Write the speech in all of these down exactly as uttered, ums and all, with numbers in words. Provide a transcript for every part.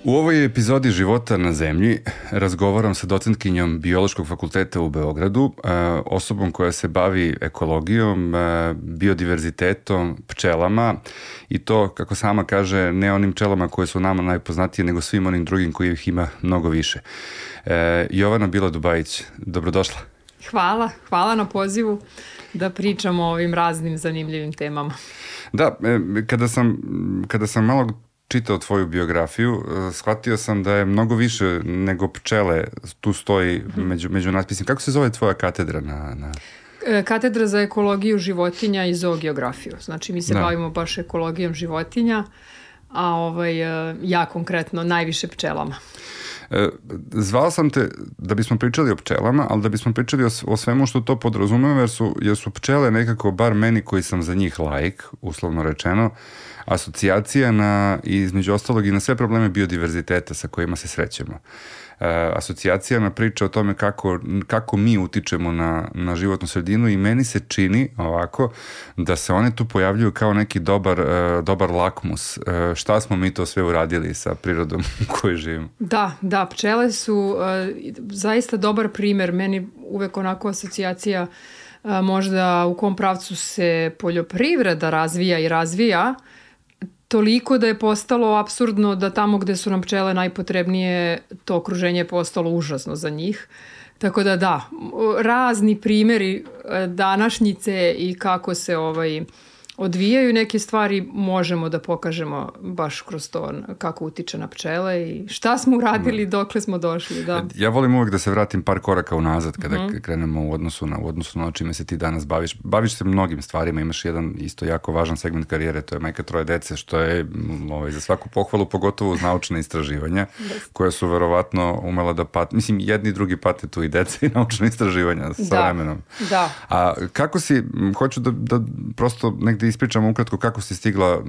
U ovoj epizodi Života na zemlji razgovaram sa docentkinjom Biološkog fakulteta u Beogradu, osobom koja se bavi ekologijom, biodiverzitetom, pčelama i to, kako sama kaže, ne onim pčelama koje su nama najpoznatije, nego svim onim drugim kojih ima mnogo više. Jovana Bila-Dubajić, dobrodošla. Hvala, hvala na pozivu da pričamo o ovim raznim zanimljivim temama. Da, kada sam, kada sam malo čitao tvoju biografiju, shvatio sam da je mnogo više nego pčele tu stoji među, među natpisima. Kako se zove tvoja katedra? Na, na... Katedra za ekologiju životinja i zoogeografiju. Znači mi se da. bavimo baš ekologijom životinja, a ovaj, ja konkretno najviše pčelama. Zvao sam te da bismo pričali o pčelama, ali da bismo pričali o, o svemu što to podrazumeva, jer su, jer su pčele nekako, bar meni koji sam za njih laik, uslovno rečeno, asocijacija na, između ostalog i na sve probleme biodiverziteta sa kojima se srećemo. E, asocijacija na priča o tome kako, kako mi utičemo na, na životnu sredinu i meni se čini ovako da se one tu pojavljuju kao neki dobar, e, dobar lakmus. E, šta smo mi to sve uradili sa prirodom u kojoj živimo? Da, da, pčele su e, zaista dobar primer. Meni uvek onako asocijacija e, možda u kom pravcu se poljoprivreda razvija i razvija, toliko da je postalo apsurdno da tamo gde su nam pčele najpotrebnije, to okruženje je postalo užasno za njih. Tako da da, razni primjeri današnjice i kako se ovaj, odvijaju neke stvari možemo da pokažemo baš kroz to kako utiče na pčele i šta smo uradili, dokle smo došli. Da. Ja volim uvek da se vratim par koraka unazad kada mm-hmm. krenemo u odnosu na, u odnosu na čime se ti danas baviš. Baviš se mnogim stvarima, imaš jedan isto jako važan segment karijere, to je majka troje dece, što je ovaj, za svaku pohvalu, pogotovo uz naučne istraživanja, koja su verovatno umela da pat, mislim jedni i drugi pate tu i dece i naučne istraživanja sa da. vremenom. Da. A kako si, hoću da, da prosto negde ispričamo ukratko kako si stigla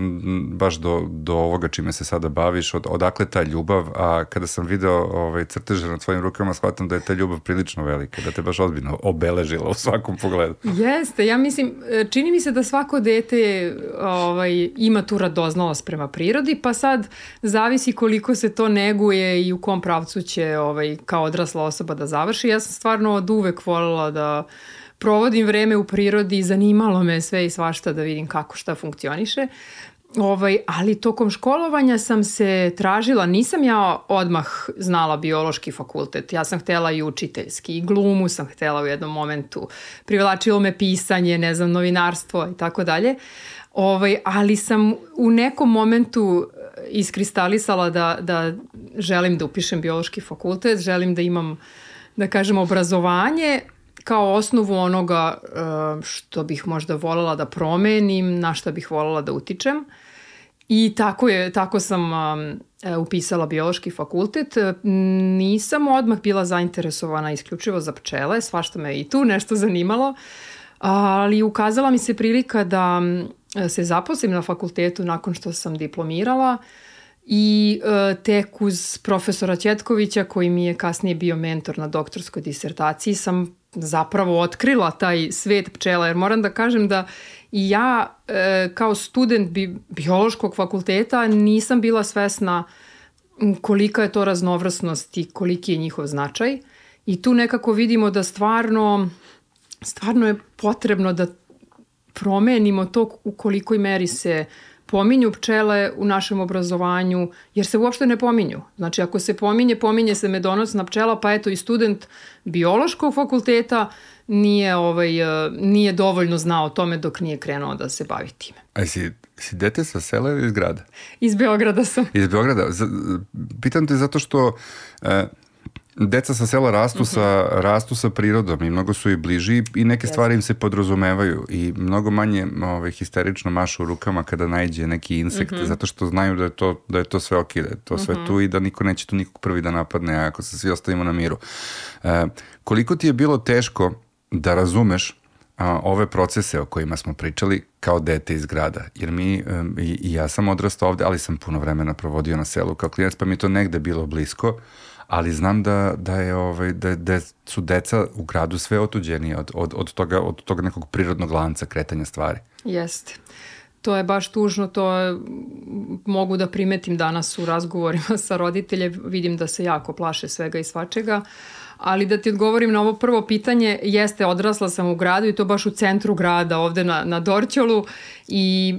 baš do, do ovoga čime se sada baviš, od, odakle ta ljubav, a kada sam video ovaj, crteže na tvojim rukama, shvatam da je ta ljubav prilično velika, da te baš ozbiljno obeležila u svakom pogledu. Jeste, ja mislim, čini mi se da svako dete ovaj, ima tu radoznalost prema prirodi, pa sad zavisi koliko se to neguje i u kom pravcu će ovaj, kao odrasla osoba da završi. Ja sam stvarno od uvek voljela da provodim vreme u prirodi i zanimalo me sve i svašta da vidim kako šta funkcioniše. Ovaj, ali tokom školovanja sam se tražila, nisam ja odmah znala biološki fakultet, ja sam htjela i učiteljski, i glumu sam htjela u jednom momentu, privlačilo me pisanje, ne znam, novinarstvo i tako dalje. Ovaj, ali sam u nekom momentu iskristalisala da, da želim da upišem biološki fakultet, želim da imam, da kažem, obrazovanje kao osnovu onoga što bih možda voljela da promenim, na što bih voljela da utičem. I tako, je, tako sam upisala biološki fakultet. Nisam odmah bila zainteresovana isključivo za pčele, svašta me i tu nešto zanimalo, ali ukazala mi se prilika da se zaposlim na fakultetu nakon što sam diplomirala i tek uz profesora Ćetkovića, koji mi je kasnije bio mentor na doktorskoj disertaciji, sam zapravo otkrila taj svet pčela, jer moram da kažem da i ja e, kao student bi, biološkog fakulteta nisam bila svesna kolika je to raznovrsnost i koliki je njihov značaj. I tu nekako vidimo da stvarno, stvarno je potrebno da promenimo to u kolikoj meri se pominju pčele u našem obrazovanju, jer se uopšte ne pominju. Znači, ako se pominje, pominje se medonosna pčela, pa eto i student biološkog fakulteta nije, ovaj, nije dovoljno znao o tome dok nije krenuo da se bavi time. A si, si dete sa sela ili iz grada? Iz Beograda sam. Iz Beograda. Pitam te zato što e, deca sa sela rastu, uh-huh. sa, rastu sa prirodom i mnogo su i bliži i neke yes. stvari im se podrazumevaju i mnogo manje ovaj, histerično mašu rukama kada naiđe neki insekt, uh-huh. zato što znaju da je to, da je to sve ok, da je to sve uh-huh. tu i da niko neće tu nikog prvi da napadne ako se svi ostavimo na miru. E, koliko ti je bilo teško da razumeš a, ove procese o kojima smo pričali kao dete iz grada? Jer mi, um, i, i ja sam odrastao ovde, ali sam puno vremena provodio na selu kao klinac, pa mi je to negde bilo blisko, ali znam da, da, je, ovaj, da, da su deca u gradu sve otuđenije od, od, od, toga, od toga nekog prirodnog lanca kretanja stvari. Jeste. To je baš tužno, to je, mogu da primetim danas u razgovorima sa roditeljem, vidim da se jako plaše svega i svačega, ali da ti odgovorim na ovo prvo pitanje, jeste, odrasla sam u gradu i to baš u centru grada, ovde na, na Dorćolu i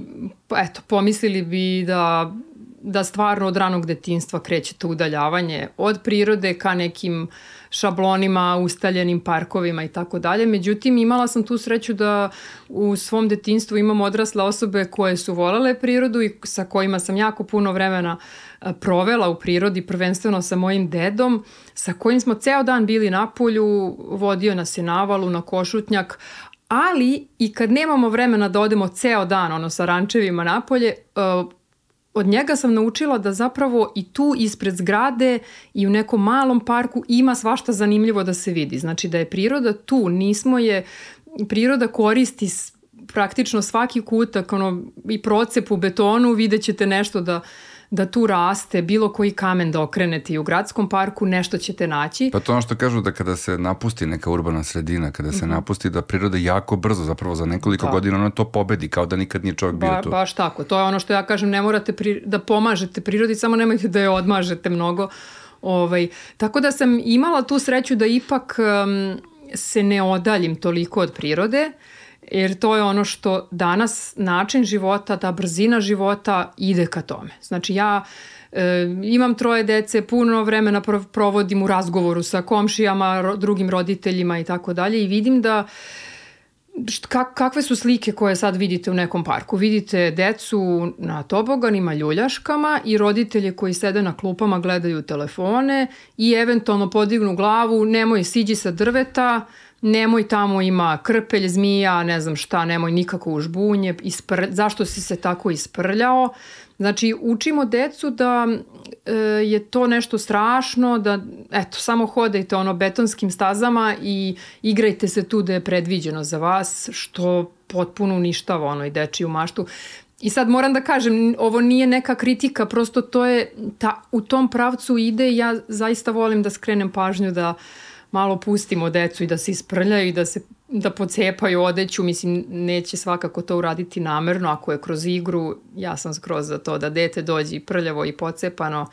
eto, pomislili bi da, da stvarno od ranog detinjstva kreće to udaljavanje od prirode ka nekim šablonima, ustaljenim parkovima i tako dalje. Međutim, imala sam tu sreću da u svom detinjstvu imam odrasle osobe koje su volele prirodu i sa kojima sam jako puno vremena provela u prirodi, prvenstveno sa mojim dedom, sa kojim smo ceo dan bili na polju, vodio nas je na valu, na Košutnjak, ali i kad nemamo vremena da odemo ceo dan ono, sa rančevima napolje, od njega sam naučila da zapravo i tu ispred zgrade i u nekom malom parku ima svašta zanimljivo da se vidi. Znači da je priroda tu, nismo je, priroda koristi praktično svaki kutak, ono, i procep u betonu, vidjet ćete nešto da, da tu raste, bilo koji kamen da okrenete i u gradskom parku, nešto ćete naći. Pa to ono što kažu da kada se napusti neka urbana sredina, kada se mm-hmm. napusti da priroda jako brzo, zapravo za nekoliko da. godina ona to pobedi, kao da nikad nije čovjek bio ba, tu. Baš tako, to je ono što ja kažem, ne morate pri, da pomažete prirodi, samo nemojte da je odmažete mnogo. Ovaj, tako da sam imala tu sreću da ipak um, se ne odaljim toliko od prirode, jer to je ono što danas način života, ta brzina života ide ka tome. Znači ja e, imam troje dece, puno vremena provodim u razgovoru sa komšijama, ro, drugim roditeljima i tako dalje i vidim da Kak, kakve su slike koje sad vidite u nekom parku? Vidite decu na toboganima, ljuljaškama i roditelje koji sede na klupama, gledaju telefone i eventualno podignu glavu, nemoj siđi sa drveta, nemoj tamo ima krpelj, zmija, ne znam šta, nemoj nikako u žbunje, ispr... zašto si se tako isprljao? Znači, učimo decu da e, je to nešto strašno, da eto, samo hodajte ono betonskim stazama i igrajte se tu da je predviđeno za vas, što potpuno uništava ono i dečiju maštu. I sad moram da kažem, ovo nije neka kritika, prosto to je, ta, u tom pravcu ide i ja zaista volim da skrenem pažnju da malo pustimo decu i da se isprljaju i da se da pocepaju odeću, mislim, neće svakako to uraditi namerno, ako je kroz igru, ja sam skroz za to da dete dođe i prljavo i pocepano,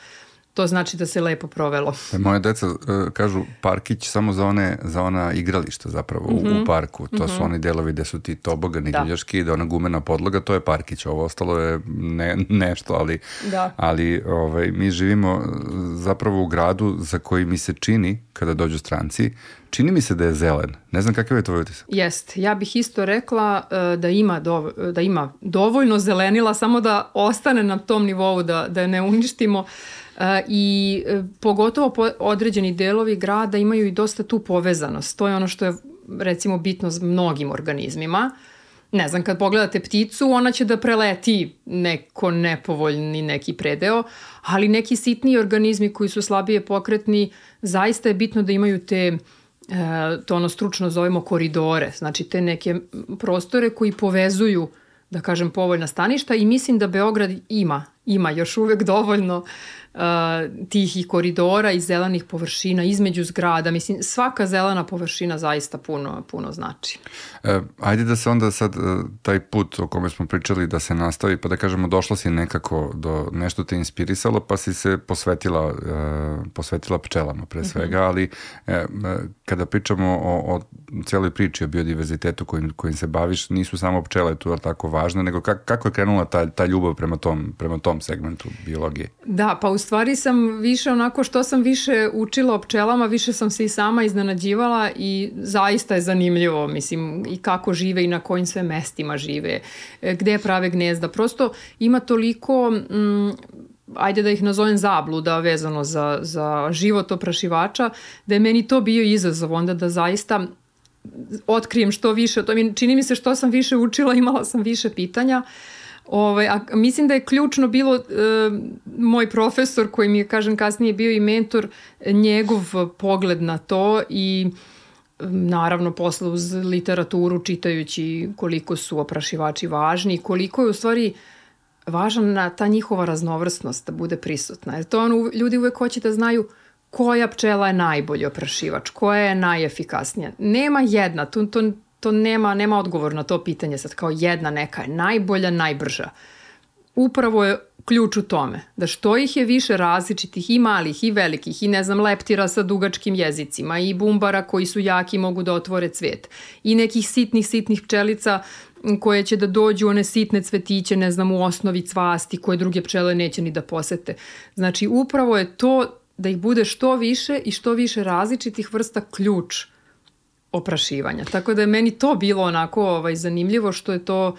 to znači da se lepo provelo. Moje deca uh, kažu parkić samo za one za ona igrališta zapravo mm-hmm. u, u parku. To mm-hmm. su oni delovi gde su ti tobogani, da. ljuljaški, da ona gumena podloga, to je parkić. Ovo ostalo je ne, nešto, ali, da. ali ovaj, mi živimo zapravo u gradu za koji mi se čini, kada dođu stranci, čini mi se da je zelen. Ne znam kakav je tvoj utisak. Jeste. Ja bih isto rekla uh, da, ima dov, da ima dovoljno zelenila, samo da ostane na tom nivou, da, da je ne uništimo. Uh, I uh, pogotovo po određeni delovi grada imaju i dosta tu povezanost. To je ono što je recimo bitno s mnogim organizmima. Ne znam, kad pogledate pticu, ona će da preleti neko nepovoljni neki predeo, ali neki sitniji organizmi koji su slabije pokretni, zaista je bitno da imaju te, e, to ono stručno zovemo koridore, znači te neke prostore koji povezuju, da kažem, povoljna staništa i mislim da Beograd ima, ima još uvek dovoljno uh, tih i koridora i zelenih površina između zgrada. Mislim, svaka zelena površina zaista puno, puno znači. E, ajde da se onda sad taj put o kome smo pričali da se nastavi, pa da kažemo došla si nekako do nešto te inspirisalo, pa si se posvetila, uh, posvetila pčelama pre svega, mm-hmm. ali e, kada pričamo o, o cijeloj priči o biodiverzitetu kojim, kojim se baviš, nisu samo pčele tu tako važne, nego kak, kako je krenula ta, ta ljubav prema tom, prema tom segmentu biologije? Da, pa u stvari sam više onako što sam više učila o pčelama, više sam se i sama iznenađivala i zaista je zanimljivo, mislim, i kako žive i na kojim sve mestima žive, gde prave gnezda. Prosto ima toliko, mm, ajde da ih nazovem zabluda vezano za, za život oprašivača, da je meni to bio izazov onda da zaista otkrijem što više. To mi, čini mi se što sam više učila, imala sam više pitanja. Ove, a mislim da je ključno bilo e, moj profesor koji mi je, kažem, kasnije bio i mentor, njegov pogled na to i naravno posle uz literaturu čitajući koliko su oprašivači važni i koliko je u stvari važna ta njihova raznovrsnost da bude prisutna. Jer to ono, ljudi uvek hoće da znaju koja pčela je najbolji oprašivač, koja je najefikasnija. Nema jedna, to, to, to nema, nema odgovor na to pitanje sad, kao jedna neka je najbolja, najbrža. Upravo je ključ u tome, da što ih je više različitih, i malih, i velikih, i ne znam, leptira sa dugačkim jezicima, i bumbara koji su jaki, mogu da otvore cvet, i nekih sitnih, sitnih pčelica koje će da dođu, one sitne cvetiće, ne znam, u osnovi cvasti, koje druge pčele neće ni da posete. Znači, upravo je to da ih bude što više i što više različitih vrsta ključ oprašivanja. Tako da je meni to bilo onako ovaj, zanimljivo, što je to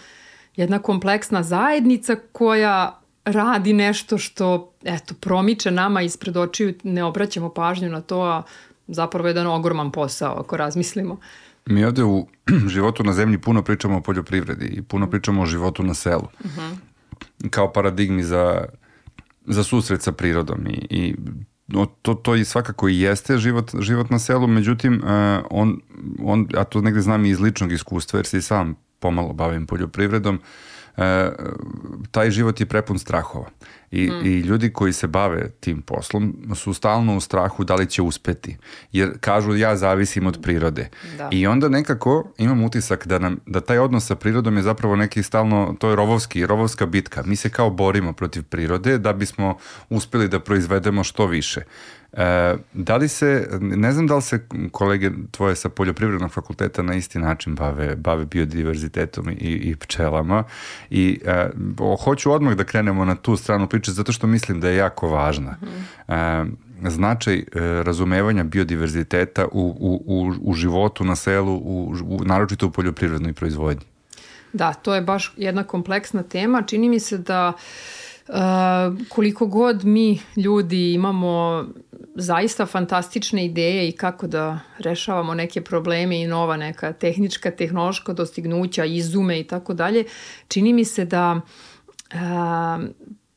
jedna kompleksna zajednica koja radi nešto što, eto, promiče nama ispred očiju, ne obraćamo pažnju na to, a zapravo je jedan ogroman posao, ako razmislimo. Mi ovde u životu na zemlji puno pričamo o poljoprivredi i puno pričamo o životu na selu. Uh-huh. Kao paradigmi za, za susret sa prirodom i, i to, to i svakako i jeste život, život na selu, međutim, uh, on, on, a to negde znam i iz ličnog iskustva, jer se i sam pomalo bavim poljoprivredom, e, taj život je prepun strahova. I, mm. I ljudi koji se bave tim poslom su stalno u strahu da li će uspeti. Jer kažu ja zavisim od prirode. Da. I onda nekako imam utisak da, nam, da taj odnos sa prirodom je zapravo neki stalno, to je rovovski, rovovska bitka. Mi se kao borimo protiv prirode da bismo uspeli da proizvedemo što više. E, da li se, ne znam da li se kolege tvoje sa poljoprivrednog fakulteta na isti način bave, bave biodiverzitetom i, i pčelama i e, hoću odmah da krenemo na tu stranu priče zato što mislim da je jako važna. Mm-hmm. E, značaj e, razumevanja biodiverziteta u, u, u, u životu na selu, u, u, naročito u poljoprivrednoj proizvodnji. Da, to je baš jedna kompleksna tema. Čini mi se da Uh, koliko god mi ljudi imamo zaista fantastične ideje i kako da rešavamo neke probleme i nova neka tehnička, tehnološka dostignuća, izume i tako dalje, čini mi se da uh,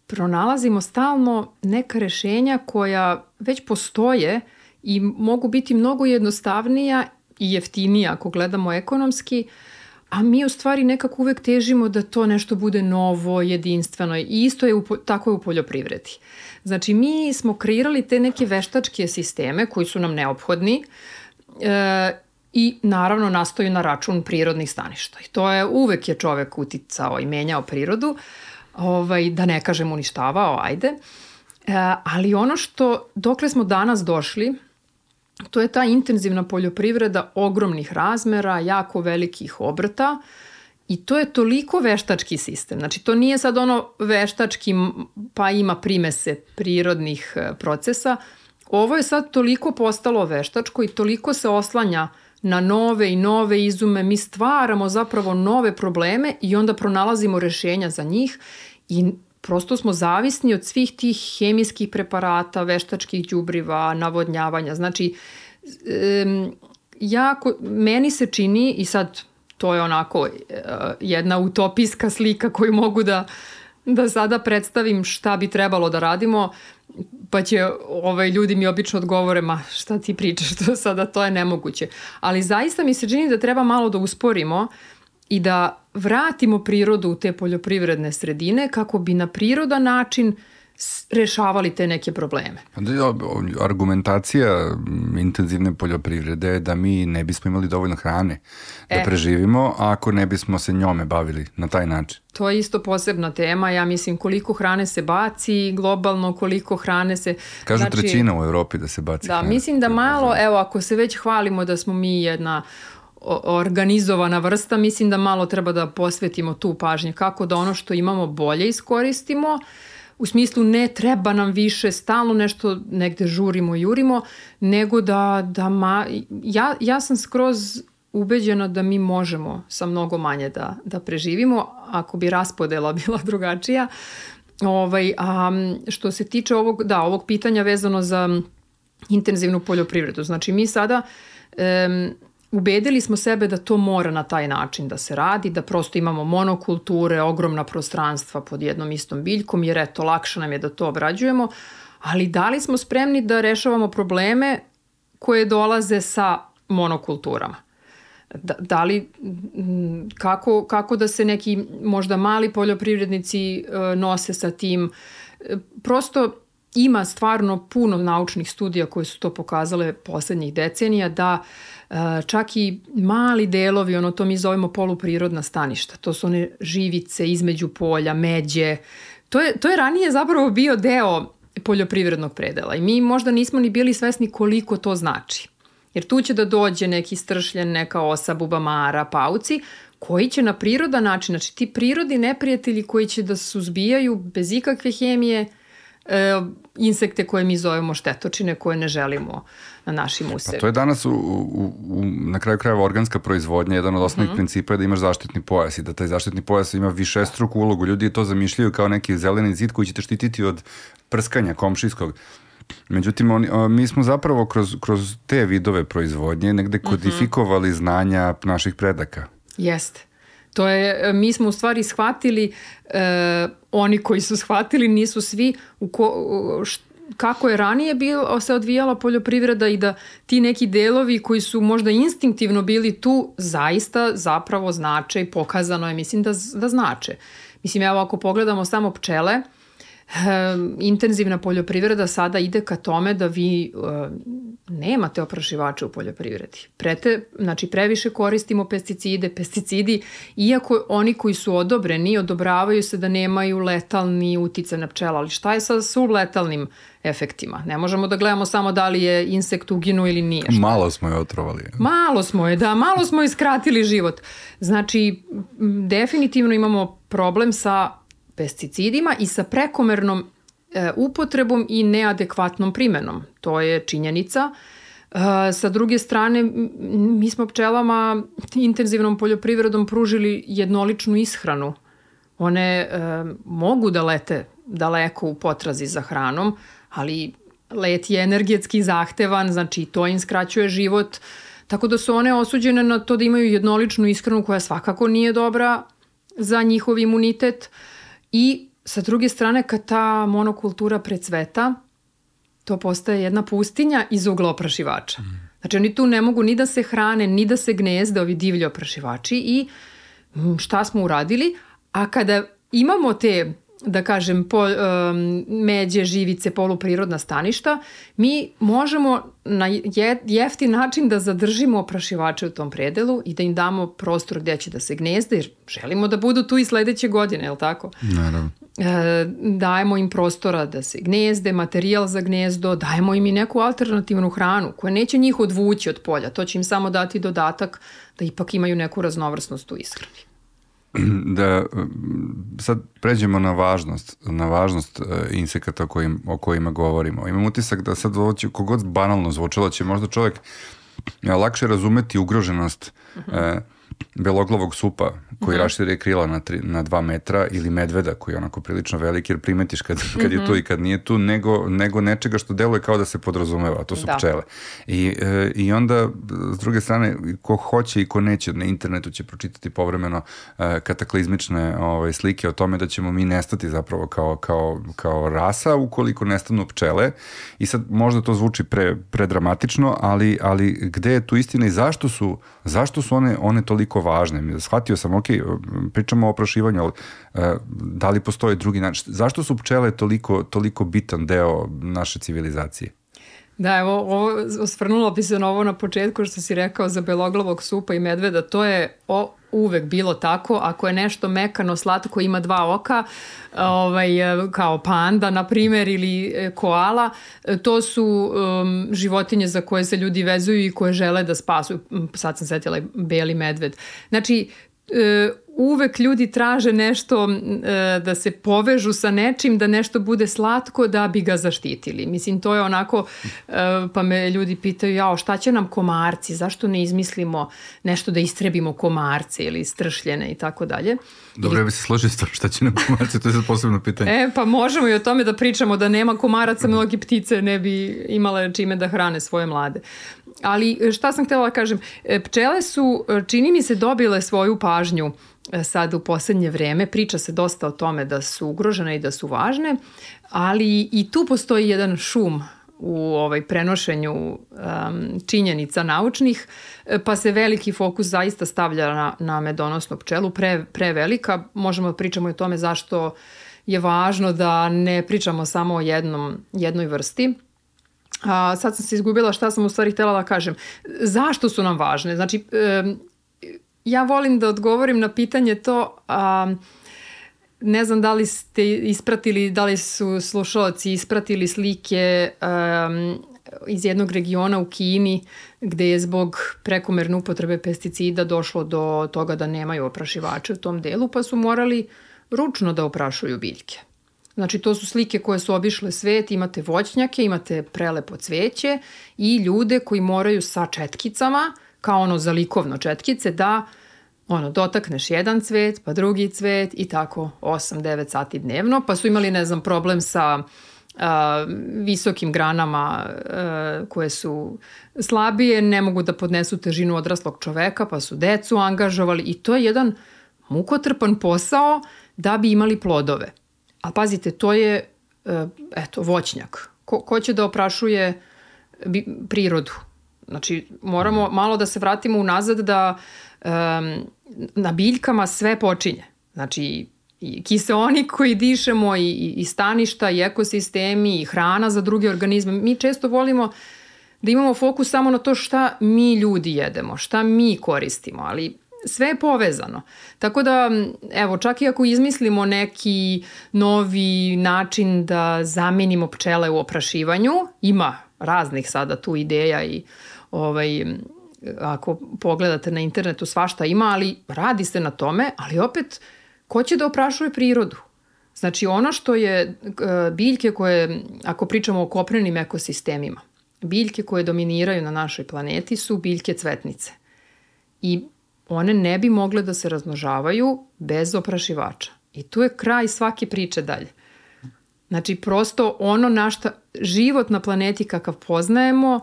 pronalazimo stalno neka rešenja koja već postoje i mogu biti mnogo jednostavnija i jeftinija ako gledamo ekonomski, a mi u stvari nekako uvek težimo da to nešto bude novo, jedinstveno i isto je u, tako je u poljoprivredi. Znači mi smo kreirali te neke veštačke sisteme koji su nam neophodni e, i naravno nastaju na račun prirodnih staništa. I to je uvek je čovek uticao i menjao prirodu, ovaj, da ne kažem uništavao, ajde. E, ali ono što, dokle smo danas došli, to je ta intenzivna poljoprivreda ogromnih razmera, jako velikih obrta i to je toliko veštački sistem. Znači to nije sad ono veštački pa ima primese prirodnih procesa. Ovo je sad toliko postalo veštačko i toliko se oslanja na nove i nove izume. Mi stvaramo zapravo nove probleme i onda pronalazimo rešenja za njih i prosto smo zavisni od svih tih hemijskih preparata, veštačkih đubriva, navodnjavanja. Znači, um, jako, meni se čini, i sad to je onako uh, jedna utopijska slika koju mogu da, da sada predstavim šta bi trebalo da radimo, pa će ovaj, ljudi mi obično odgovore, ma šta ti pričaš, to sada to je nemoguće. Ali zaista mi se čini da treba malo da usporimo i da vratimo prirodu u te poljoprivredne sredine kako bi na prirodan način rešavali te neke probleme. Argumentacija intenzivne poljoprivrede je da mi ne bismo imali dovoljno hrane da e. preživimo ako ne bismo se njome bavili na taj način. To je isto posebna tema. Ja mislim koliko hrane se baci globalno, koliko hrane se... Kažu znači, trećina u Evropi da se baci da, hrane. Mislim da malo, evo ako se već hvalimo da smo mi jedna organizovana vrsta, mislim da malo treba da posvetimo tu pažnje kako da ono što imamo bolje iskoristimo, u smislu ne treba nam više, stalno nešto negde žurimo i jurimo, nego da, da ma, ja, ja sam skroz ubeđena da mi možemo sa mnogo manje da, da preživimo, ako bi raspodela bila drugačija. Ovaj, a što se tiče ovog, da, ovog pitanja vezano za intenzivnu poljoprivredu, znači mi sada um, ubedili smo sebe da to mora na taj način da se radi, da prosto imamo monokulture, ogromna prostranstva pod jednom istom biljkom, jer eto, lakše nam je da to obrađujemo, ali da li smo spremni da rešavamo probleme koje dolaze sa monokulturama? Da, da li, kako, kako da se neki možda mali poljoprivrednici nose sa tim? Prosto ima stvarno puno naučnih studija koje su to pokazale poslednjih decenija da uh, čak i mali delovi, ono to mi zovemo poluprirodna staništa, to su one živice između polja, međe, to je, to je ranije zapravo bio deo poljoprivrednog predela i mi možda nismo ni bili svesni koliko to znači. Jer tu će da dođe neki stršljen, neka osa, bubamara, pauci, koji će na prirodan način, znači ti prirodni neprijatelji koji će da suzbijaju bez ikakve hemije e, insekte koje mi zovemo štetočine, koje ne želimo na našim usevima. Pa to je danas u, u, u, na kraju krajeva organska proizvodnja, jedan od osnovnih mm-hmm. principa je da imaš zaštitni pojas i da taj zaštitni pojas ima višestruku ulogu. Ljudi to zamišljaju kao neki zeleni zid koji će te štititi od prskanja komšijskog. Međutim, oni, mi smo zapravo kroz, kroz te vidove proizvodnje negde kodifikovali mm-hmm. znanja naših predaka. Jeste. To je, mi smo u stvari shvatili, eh, oni koji su shvatili nisu svi u ko, š, kako je ranije bilo, se odvijala poljoprivreda i da ti neki delovi koji su možda instinktivno bili tu zaista zapravo znače i pokazano je, mislim da, da znače. Mislim, evo ako pogledamo samo pčele, intenzivna poljoprivreda sada ide ka tome da vi uh, nemate oprašivače u poljoprivredi. Prete, znači previše koristimo pesticide, pesticidi, iako oni koji su odobreni, odobravaju se da nemaju letalni uticaj na pčela, ali šta je sa subletalnim efektima? Ne možemo da gledamo samo da li je insekt uginuo ili nije. Šta? Malo smo je otrovali. Malo smo je, da, malo smo je skratili život. Znači, definitivno imamo problem sa pesticidima i sa prekomernom e, upotrebom i neadekvatnom primenom. To je činjenica. E, sa druge strane, mi smo pčelama intenzivnom poljoprivredom pružili jednoličnu ishranu. One e, mogu da lete daleko u potrazi za hranom, ali let je energetski zahtevan, znači to im skraćuje život, tako da su one osuđene na to da imaju jednoličnu ishranu koja svakako nije dobra za njihov imunitet. I sa druge strane, kad ta monokultura precveta, to postaje jedna pustinja iz ugla oprašivača. Mm. Znači oni tu ne mogu ni da se hrane, ni da se gnezde, ovi divlji oprašivači i šta smo uradili? A kada imamo te, da kažem, po, um, međe, živice, poluprirodna staništa, mi možemo na je, jeftin način da zadržimo oprašivače u tom predelu i da im damo prostor gdje će da se gnezde, jer želimo da budu tu i sledeće godine, je li tako? Naravno. E, dajemo im prostora da se gnezde, materijal za gnezdo, dajemo im i neku alternativnu hranu koja neće njih odvući od polja, to će im samo dati dodatak da ipak imaju neku raznovrsnost u ishrani. Da sad pređemo na važnost, na važnost insekata o, kojim, o kojima govorimo. Imam utisak da sad ovo će, kogod banalno zvučalo, će možda čovjek lakše razumeti ugroženost uh-huh. e, beloglavog supa koji uh-huh. raširi krila na, tri, na dva metra ili medveda koji je onako prilično veliki jer primetiš kad, kad uh-huh. je tu i kad nije tu, nego, nego nečega što deluje kao da se podrazumeva, a to su da. pčele. I, e, I onda, s druge strane, ko hoće i ko neće na internetu će pročitati povremeno e, kataklizmične ove, slike o tome da ćemo mi nestati zapravo kao, kao, kao rasa ukoliko nestanu pčele. I sad možda to zvuči pre, predramatično, ali, ali gde je tu istina i zašto su, zašto su one, one toliko važne? Shvatio sam, ok, pričamo o oprašivanju, ali uh, da li postoje drugi način? Zašto su pčele toliko, toliko bitan deo naše civilizacije? Da, evo, ovo, osvrnula bi se na ovo na početku što si rekao za beloglavog supa i medveda, to je o, uvek bilo tako, ako je nešto mekano, slatko, ima dva oka, ovaj, kao panda, na primjer, ili koala, to su um, životinje za koje se ljudi vezuju i koje žele da spasu. Sad sam setila i beli medved. Znači, uvek ljudi traže nešto da se povežu sa nečim, da nešto bude slatko da bi ga zaštitili. Mislim, to je onako, pa me ljudi pitaju, jao, šta će nam komarci, zašto ne izmislimo nešto da istrebimo komarce ili stršljene i tako dalje. Dobro, ja bi se složio s to, šta će nam komarci, to je sad posebno pitanje. E, pa možemo i o tome da pričamo, da nema komaraca, mnogi ptice ne bi imale čime da hrane svoje mlade. Ali šta sam htjela da kažem, pčele su, čini mi se, dobile svoju pažnju sad u posljednje vreme. Priča se dosta o tome da su ugrožene i da su važne, ali i tu postoji jedan šum u ovaj prenošenju um, činjenica naučnih, pa se veliki fokus zaista stavlja na, na medonosnu pčelu, pre, prevelika. Možemo da pričamo o tome zašto je važno da ne pričamo samo o jednom, jednoj vrsti. A, sad sam se izgubila šta sam u stvari htjela da kažem. Zašto su nam važne? Znači, e, ja volim da odgovorim na pitanje to, a, ne znam da li ste ispratili, da li su slušalci ispratili slike um, iz jednog regiona u Kini gde je zbog prekomerne upotrebe pesticida došlo do toga da nemaju oprašivače u tom delu, pa su morali ručno da oprašuju biljke. Znači, to su slike koje su obišle svet, imate voćnjake, imate prelepo cveće i ljude koji moraju sa četkicama, kao ono za likovno četkice, da ono, dotakneš jedan cvet, pa drugi cvet i tako osam devet sati dnevno, pa su imali, ne znam, problem sa a, visokim granama a, koje su slabije, ne mogu da podnesu težinu odraslog čoveka, pa su decu angažovali i to je jedan mukotrpan posao da bi imali plodove. A pazite, to je, eto, voćnjak. Ko, ko će da oprašuje bi, prirodu? Znači, moramo malo da se vratimo unazad da um, na biljkama sve počinje. Znači, i kiseonik koji dišemo i, i staništa i ekosistemi i hrana za druge organizme. Mi često volimo da imamo fokus samo na to šta mi ljudi jedemo, šta mi koristimo, ali sve je povezano. Tako da, evo, čak i ako izmislimo neki novi način da zamenimo pčele u oprašivanju, ima raznih sada tu ideja i ovaj, ako pogledate na internetu svašta ima, ali radi se na tome, ali opet, ko će da oprašuje prirodu? Znači, ono što je biljke koje, ako pričamo o kopnenim ekosistemima, biljke koje dominiraju na našoj planeti su biljke cvetnice. I one ne bi mogle da se razmnožavaju bez oprašivača. I tu je kraj svake priče dalje. Znači, prosto ono na šta život na planeti kakav poznajemo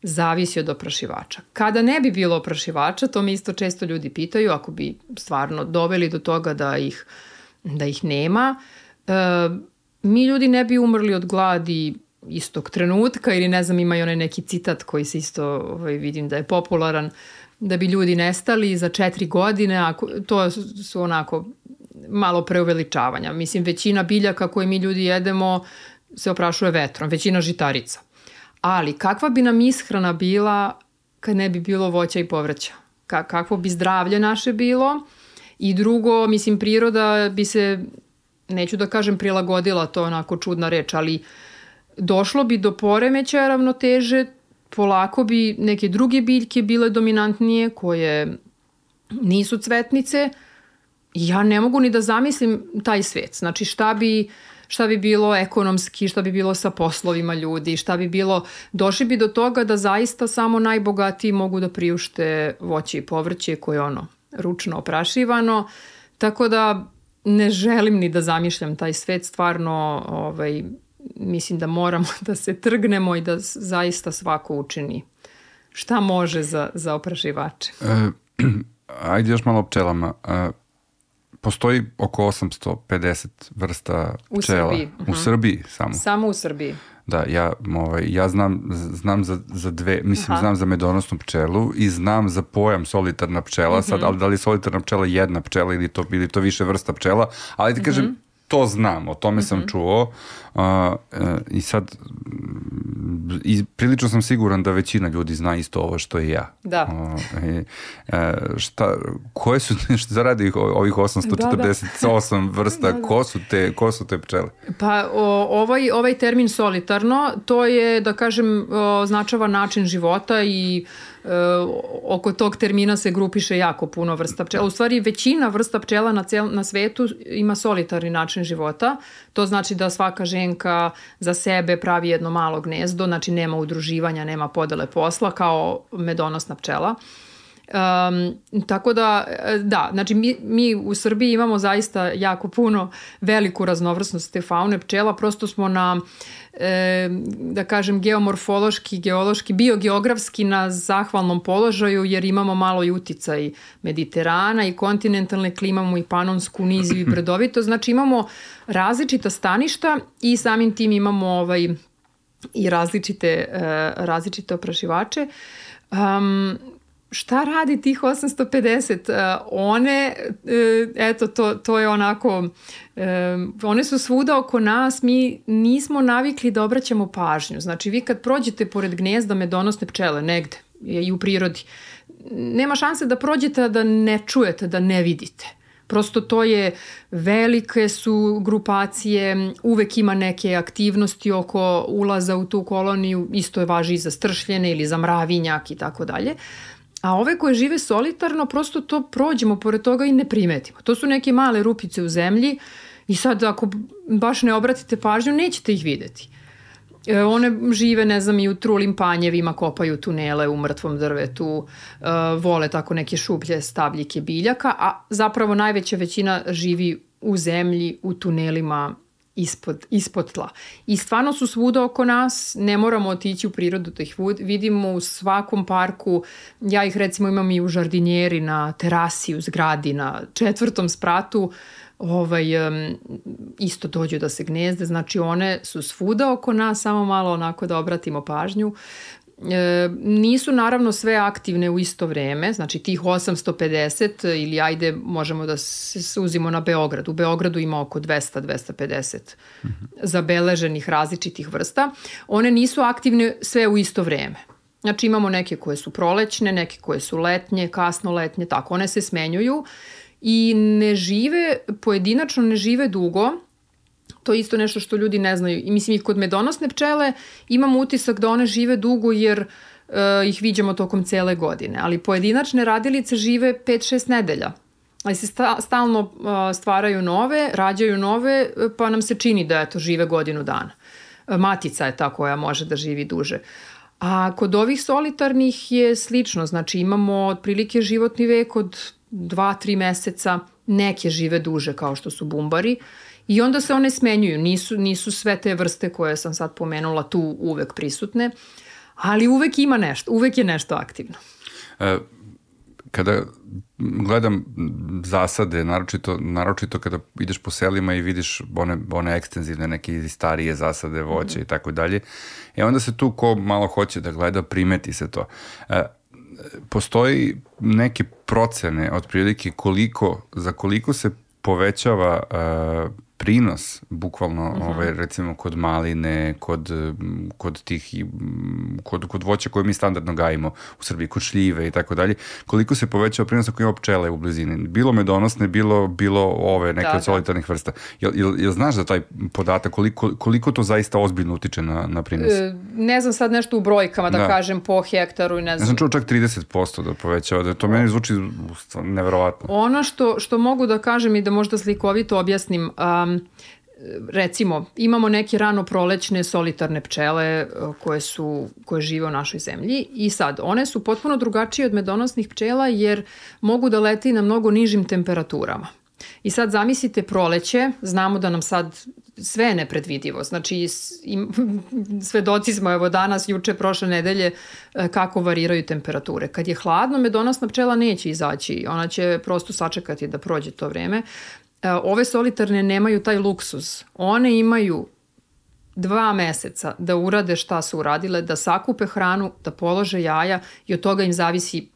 zavisi od oprašivača. Kada ne bi bilo oprašivača, to mi isto često ljudi pitaju, ako bi stvarno doveli do toga da ih, da ih nema, e, mi ljudi ne bi umrli od gladi istog trenutka ili ne znam, ima i onaj neki citat koji se isto ovaj, vidim da je popularan, da bi ljudi nestali za četiri godine, ako, to su onako malo preuveličavanja. Mislim, većina biljaka koje mi ljudi jedemo se oprašuje vetrom, većina žitarica. Ali kakva bi nam ishrana bila kad ne bi bilo voća i povrća? Ka- kakvo bi zdravlje naše bilo? I drugo, mislim, priroda bi se, neću da kažem prilagodila, to je onako čudna reč, ali došlo bi do poremećaja ravnoteže, polako bi neke druge biljke bile dominantnije koje nisu cvetnice i ja ne mogu ni da zamislim taj svet. Znači šta bi, šta bi bilo ekonomski, šta bi bilo sa poslovima ljudi, šta bi bilo, došli bi do toga da zaista samo najbogatiji mogu da priušte voće i povrće koje je ono ručno oprašivano. Tako da ne želim ni da zamišljam taj svet, stvarno ovaj, mislim da moramo da se trgnemo i da zaista svako učini šta može za, za oprašivače. E, ajde još malo o pčelama. E, postoji oko osamsto pedeset vrsta pčela. U Srbiji. U uh-huh. Srbiji samo. Samo u Srbiji. Da, ja, ovaj, ja znam, znam za, za dve, mislim, Aha. znam za medonosnu pčelu i znam za pojam solitarna pčela, uh-huh. sad, ali da li je solitarna pčela jedna pčela ili to, ili to više vrsta pčela, ali ti uh-huh. kažem, to znam, o tome mm-hmm. sam čuo uh, uh, i sad i prilično sam siguran da većina ljudi zna isto ovo što i ja. Da. Uh, i, uh, šta, koje su, šta zaradi ovih osamsto četrdeset osam da, da. vrsta, da, da. Ko, su te, ko su te pčele? Pa o, ovaj, ovaj termin solitarno, to je, da kažem, označava način života i e, oko tog termina se grupiše jako puno vrsta pčela. U stvari, većina vrsta pčela na, cel, na svetu ima solitarni način života. To znači da svaka ženka za sebe pravi jedno malo gnezdo, znači nema udruživanja, nema podele posla kao medonosna pčela. Um, tako da, da, znači mi, mi u Srbiji imamo zaista jako puno veliku raznovrsnost te faune pčela, prosto smo na, e, da kažem, geomorfološki, geološki, biogeografski na zahvalnom položaju, jer imamo malo i uticaj Mediterana i kontinentalne klime, imamo i panonsku niziju i brdovito, znači imamo različita staništa i samim tim imamo ovaj, i različite, e, različite oprašivače. Um, šta radi tih osamsto pedeset? Uh, one, uh, eto, to, to je onako, uh, one su svuda oko nas, mi nismo navikli da obraćamo pažnju. Znači, vi kad prođete pored gnezda medonosne pčele negde i u prirodi, nema šanse da prođete, a da ne čujete, da ne vidite. Prosto to je, velike su grupacije, uvek ima neke aktivnosti oko ulaza u tu koloniju, isto je važi i za stršljene ili za mravinjak i tako dalje. A ove koje žive solitarno, prosto to prođemo pored toga i ne primetimo. To su neke male rupice u zemlji i sad ako baš ne obratite pažnju, nećete ih videti. E, one žive, ne znam, i u trulim panjevima, kopaju tunele u mrtvom drvetu, e, vole tako neke šuplje stabljike biljaka, a zapravo najveća većina živi u zemlji, u tunelima ispod, ispod tla. I stvarno su svuda oko nas, ne moramo otići u prirodu da ih vidimo u svakom parku. Ja ih recimo imam i u žardinjeri, na terasi, u zgradi, na četvrtom spratu. Ovaj, um, isto dođu da se gnezde, znači one su svuda oko nas, samo malo onako da obratimo pažnju. E, nisu naravno sve aktivne u isto vreme, znači tih osamsto pedeset ili ajde možemo da se suzimo na Beograd. U Beogradu ima oko dvesta do dvesta pedeset mm-hmm. zabeleženih različitih vrsta. One nisu aktivne sve u isto vreme. Znači imamo neke koje su prolećne, neke koje su letnje, kasno letnje, tako one se smenjuju. I ne žive, pojedinačno ne žive dugo, to je isto nešto što ljudi ne znaju. I mislim, i kod medonosne pčele imam utisak da one žive dugo jer uh, ih viđamo tokom cele godine. Ali pojedinačne radilice žive pet šest nedelja. Ali se sta, stalno uh, stvaraju nove, rađaju nove, pa nam se čini da eto, žive godinu dana. Uh, matica je ta koja može da živi duže. A kod ovih solitarnih je slično. Znači imamo otprilike životni vek od dva, tri meseca, neke žive duže kao što su bumbari i onda se one smenjuju. Nisu, nisu sve te vrste koje sam sad pomenula tu uvek prisutne, ali uvek ima nešto, uvek je nešto aktivno. E, kada gledam zasade, naročito, naročito kada ideš po selima i vidiš one, one ekstenzivne, neke starije zasade, voće mm. i tako dalje, e onda se tu ko malo hoće da gleda, primeti se to. E, postoji neke procene otprilike koliko, za koliko se povećava uh, prinos, bukvalno, uh-huh. ovaj, recimo kod maline, kod, kod tih, kod, kod voća koje mi standardno gajimo u Srbiji, kod šljive i tako dalje, koliko se povećava prinos ako ima pčele u blizini. Bilo medonosne, bilo, bilo ove neke da, od solitarnih vrsta. Jel, jel, jel znaš za taj podatak, koliko, koliko to zaista ozbiljno utiče na, na prinos? E, ne znam sad nešto u brojkama da, da. kažem po hektaru i ne znam. Ja sam čuo čak trideset posto da povećava, da to meni zvuči neverovatno. Ono što, što mogu da kažem i da možda slikovito objasnim, um, recimo, imamo neke rano prolećne solitarne pčele koje, su, koje žive u našoj zemlji i sad, one su potpuno drugačije od medonosnih pčela jer mogu da leti na mnogo nižim temperaturama. I sad zamislite proleće, znamo da nam sad sve je nepredvidivo, znači im, svedoci smo evo danas, juče, prošle nedelje kako variraju temperature. Kad je hladno, medonosna pčela neće izaći, ona će prosto sačekati da prođe to vreme. Ove solitarne nemaju taj luksuz. One imaju dva meseca da urade šta su uradile, da sakupe hranu, da polože jaja i od toga im zavisi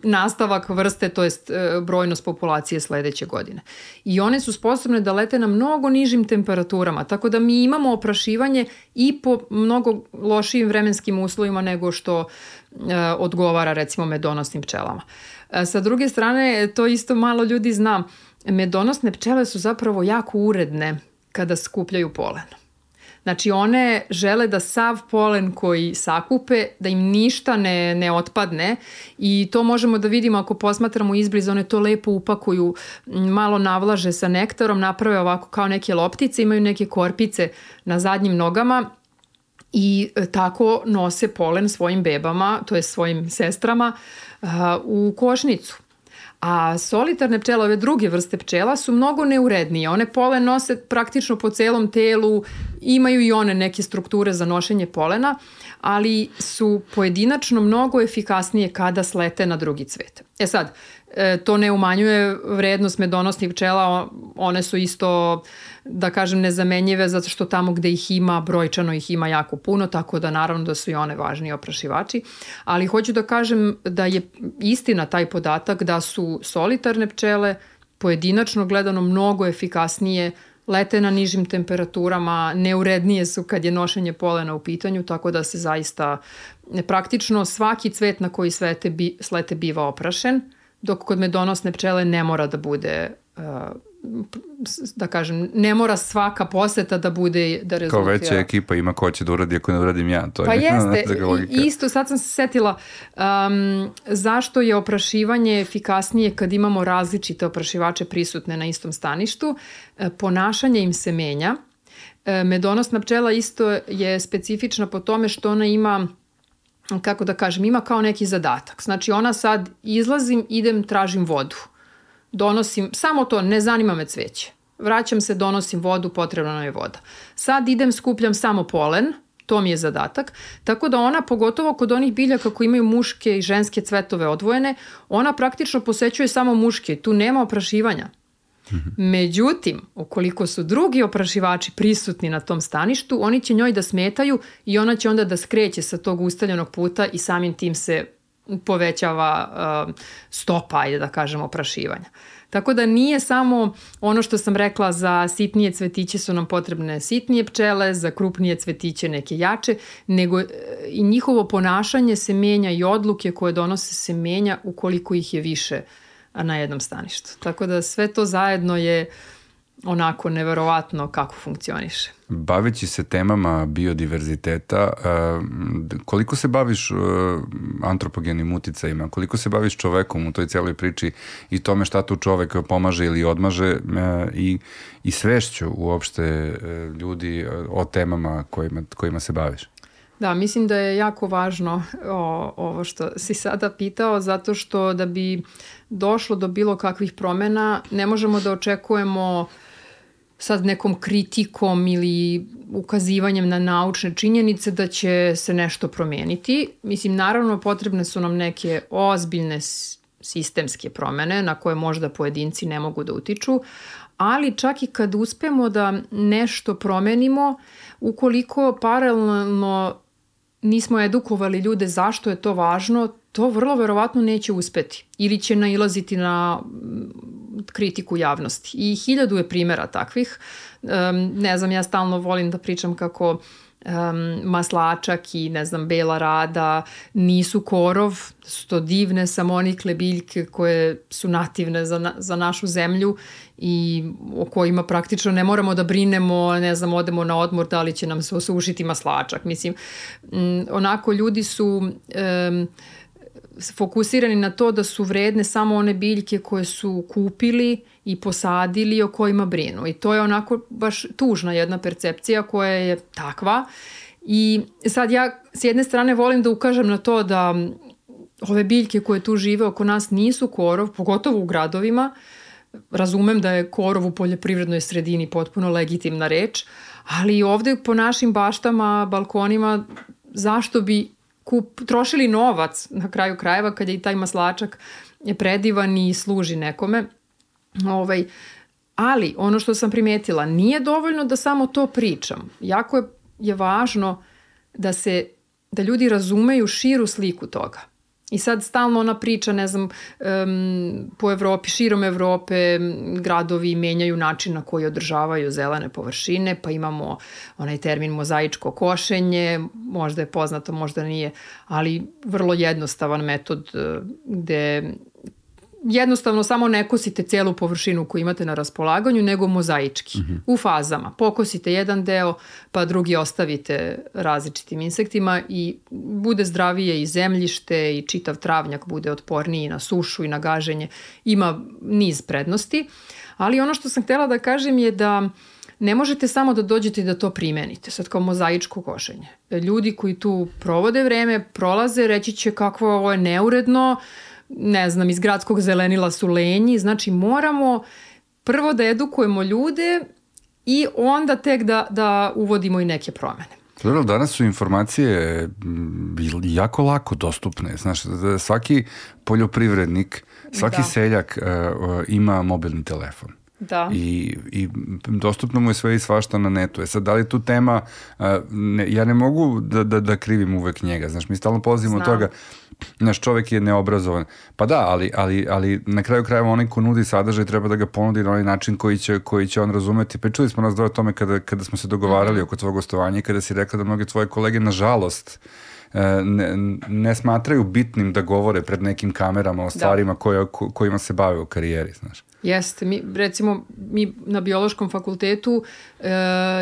nastavak vrste, to jest brojnost populacije sledeće godine. I one su sposobne da lete na mnogo nižim temperaturama, tako da mi imamo oprašivanje i po mnogo lošijim vremenskim uslovima nego što e, odgovara recimo medonosnim pčelama. E, sa druge strane, to isto malo ljudi zna, medonosne pčele su zapravo jako uredne kada skupljaju polen. Znači one žele da sav polen koji sakupe, da im ništa ne, ne otpadne i to možemo da vidimo ako posmatramo izbliza, one to lepo upakuju, malo navlaže sa nektarom, naprave ovako kao neke loptice, imaju neke korpice na zadnjim nogama i tako nose polen svojim bebama, to je svojim sestrama, u košnicu. A solitarne pčele, ove druge vrste pčela, su mnogo neurednije. One polen nose praktično po celom telu, imaju i one neke strukture za nošenje polena, ali su pojedinačno mnogo efikasnije kada slete na drugi cvet. E sad, to ne umanjuje vrednost medonosnih pčela, one su isto, da kažem, nezamenjive zato što tamo gde ih ima, brojčano ih ima jako puno, tako da naravno da su i one važni oprašivači. Ali hoću da kažem da je istina taj podatak da su solitarne pčele pojedinačno gledano mnogo efikasnije, lete na nižim temperaturama, neurednije su kad je nošenje polena u pitanju, tako da se zaista praktično svaki cvet na koji slete, bi, slete biva oprašen, dok kod medonosne pčele ne mora da bude, da kažem, ne mora svaka poseta da bude, da rezultira. Kao veća ekipa ima ko će da uradi ako ne uradim ja. To je pa jeste, isto sad sam se setila um, zašto je oprašivanje efikasnije kad imamo različite oprašivače prisutne na istom staništu. Ponašanje im se menja. Medonosna pčela isto je specifična po tome što ona ima, kako da kažem, ima kao neki zadatak. Znači ona sad izlazim, idem, tražim vodu. Donosim, samo to, ne zanima me cveće. Vraćam se, donosim vodu, potrebna nam je voda. Sad idem, skupljam samo polen, to mi je zadatak. Tako da ona, pogotovo kod onih biljaka koji imaju muške i ženske cvetove odvojene, ona praktično posećuje samo muške. Tu nema oprašivanja. Međutim, ukoliko su drugi oprašivači prisutni na tom staništu, oni će njoj da smetaju i ona će onda da skreće sa tog ustaljenog puta i samim tim se povećava uh, stopa, ajde da kažemo, oprašivanja. Tako da nije samo ono što sam rekla, za sitnije cvetiće su nam potrebne sitnije pčele, za krupnije cvetiće neke jače, nego i njihovo ponašanje se menja i odluke koje donose se menja ukoliko ih je više na jednom staništu. Tako da sve to zajedno je onako neverovatno kako funkcioniše. Baveći se temama biodiverziteta, koliko se baviš antropogenim uticajima, koliko se baviš čovekom u toj cijeloj priči i tome šta tu čovek pomaže ili odmaže i, i svešću uopšte ljudi o temama kojima, kojima se baviš? Da, mislim da je jako važno o, ovo što si sada pitao, zato što da bi došlo do bilo kakvih promjena, ne možemo da očekujemo sad nekom kritikom ili ukazivanjem na naučne činjenice da će se nešto promijeniti. Mislim, naravno potrebne su nam neke ozbiljne sistemske promjene na koje možda pojedinci ne mogu da utiču, ali čak i kad uspemo da nešto promenimo, ukoliko paralelno nismo edukovali ljude zašto je to važno, to vrlo verovatno neće uspeti ili će nailaziti na kritiku javnosti. I hiljadu je primjera takvih. Um, ne znam, ja stalno volim da pričam kako um, maslačak i ne znam, bela rada nisu korov, su to divne samonikle biljke koje su nativne za, na, za našu zemlju i o kojima praktično ne moramo da brinemo, ne znam, odemo na odmor da li će nam se osušiti maslačak. Mislim, um, onako ljudi su Um, fokusirani na to da su vredne samo one biljke koje su kupili i posadili, o kojima brinu. I to je onako baš tužna jedna percepcija koja je takva. I sad ja s jedne strane volim da ukažem na to da ove biljke koje tu žive oko nas nisu korov, pogotovo u gradovima. Razumem da je korov u poljoprivrednoj sredini potpuno legitimna reč, ali ovde po našim baštama, balkonima, zašto bi Kup, trošili novac na kraju krajeva kad je i taj maslačak je predivan i služi nekome. Ovaj, ali ono što sam primetila, nije dovoljno da samo to pričam. Jako je, je važno da se da ljudi razumeju širu sliku toga. I sad stalno ona priča, ne znam, um, po Evropi, širom Evrope gradovi menjaju način na koji održavaju zelene površine, pa imamo onaj termin mozaičko košenje, možda je poznato, možda nije, ali vrlo jednostavan metod gde jednostavno samo ne kosite cijelu površinu koju imate na raspolaganju, nego mozaički, mm-hmm. u fazama. Pokosite jedan deo, pa drugi ostavite različitim insektima i bude zdravije i zemljište i čitav travnjak bude otporniji na sušu i na gaženje. Ima niz prednosti, ali ono što sam htjela da kažem je da ne možete samo da dođete i da to primenite, sad kao mozaičko košenje. Ljudi koji tu provode vreme, prolaze, reći će kako ovo je neuredno, ne znam, iz gradskog zelenila su lenji, znači moramo prvo da edukujemo ljude i onda tek da, da uvodimo i neke promene. Dobro, danas su informacije jako lako dostupne. Znaš, svaki poljoprivrednik, svaki da. seljak uh, ima mobilni telefon. Da. I, i dostupno mu je sve i svašta na netu. E sad, da li tu tema, uh, ne, ja ne mogu da, da, da krivim uvek njega. Znaš, mi stalno polazimo od toga, naš čovek je neobrazovan. Pa da, ali, ali, ali na kraju krajeva onaj ko nudi sadržaj treba da ga ponudi na onaj način koji će, koji će on razumeti. Pa čuli smo nas dvoje o tome kada, kada smo se dogovarali mm. oko tvojeg gostovanja i kada si rekla da mnoge tvoje kolege, nažalost, ne, ne smatraju bitnim da govore pred nekim kamerama o stvarima koje, ko, kojima se bave u karijeri, znaš. Jeste, mi, recimo mi na biološkom fakultetu e,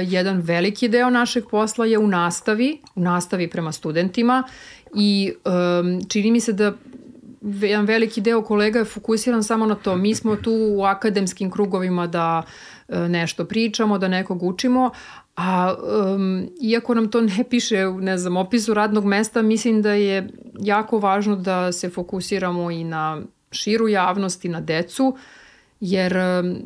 jedan veliki deo našeg posla je u nastavi, u nastavi prema studentima i e, čini mi se da jedan veliki deo kolega je fokusiran samo na to. Mi smo tu u akademskim krugovima da e, nešto pričamo, da nekog učimo, a um, iako nam to ne piše u, ne znam, opisu radnog mesta, mislim da je jako važno da se fokusiramo i na širu javnost i na decu, jer um,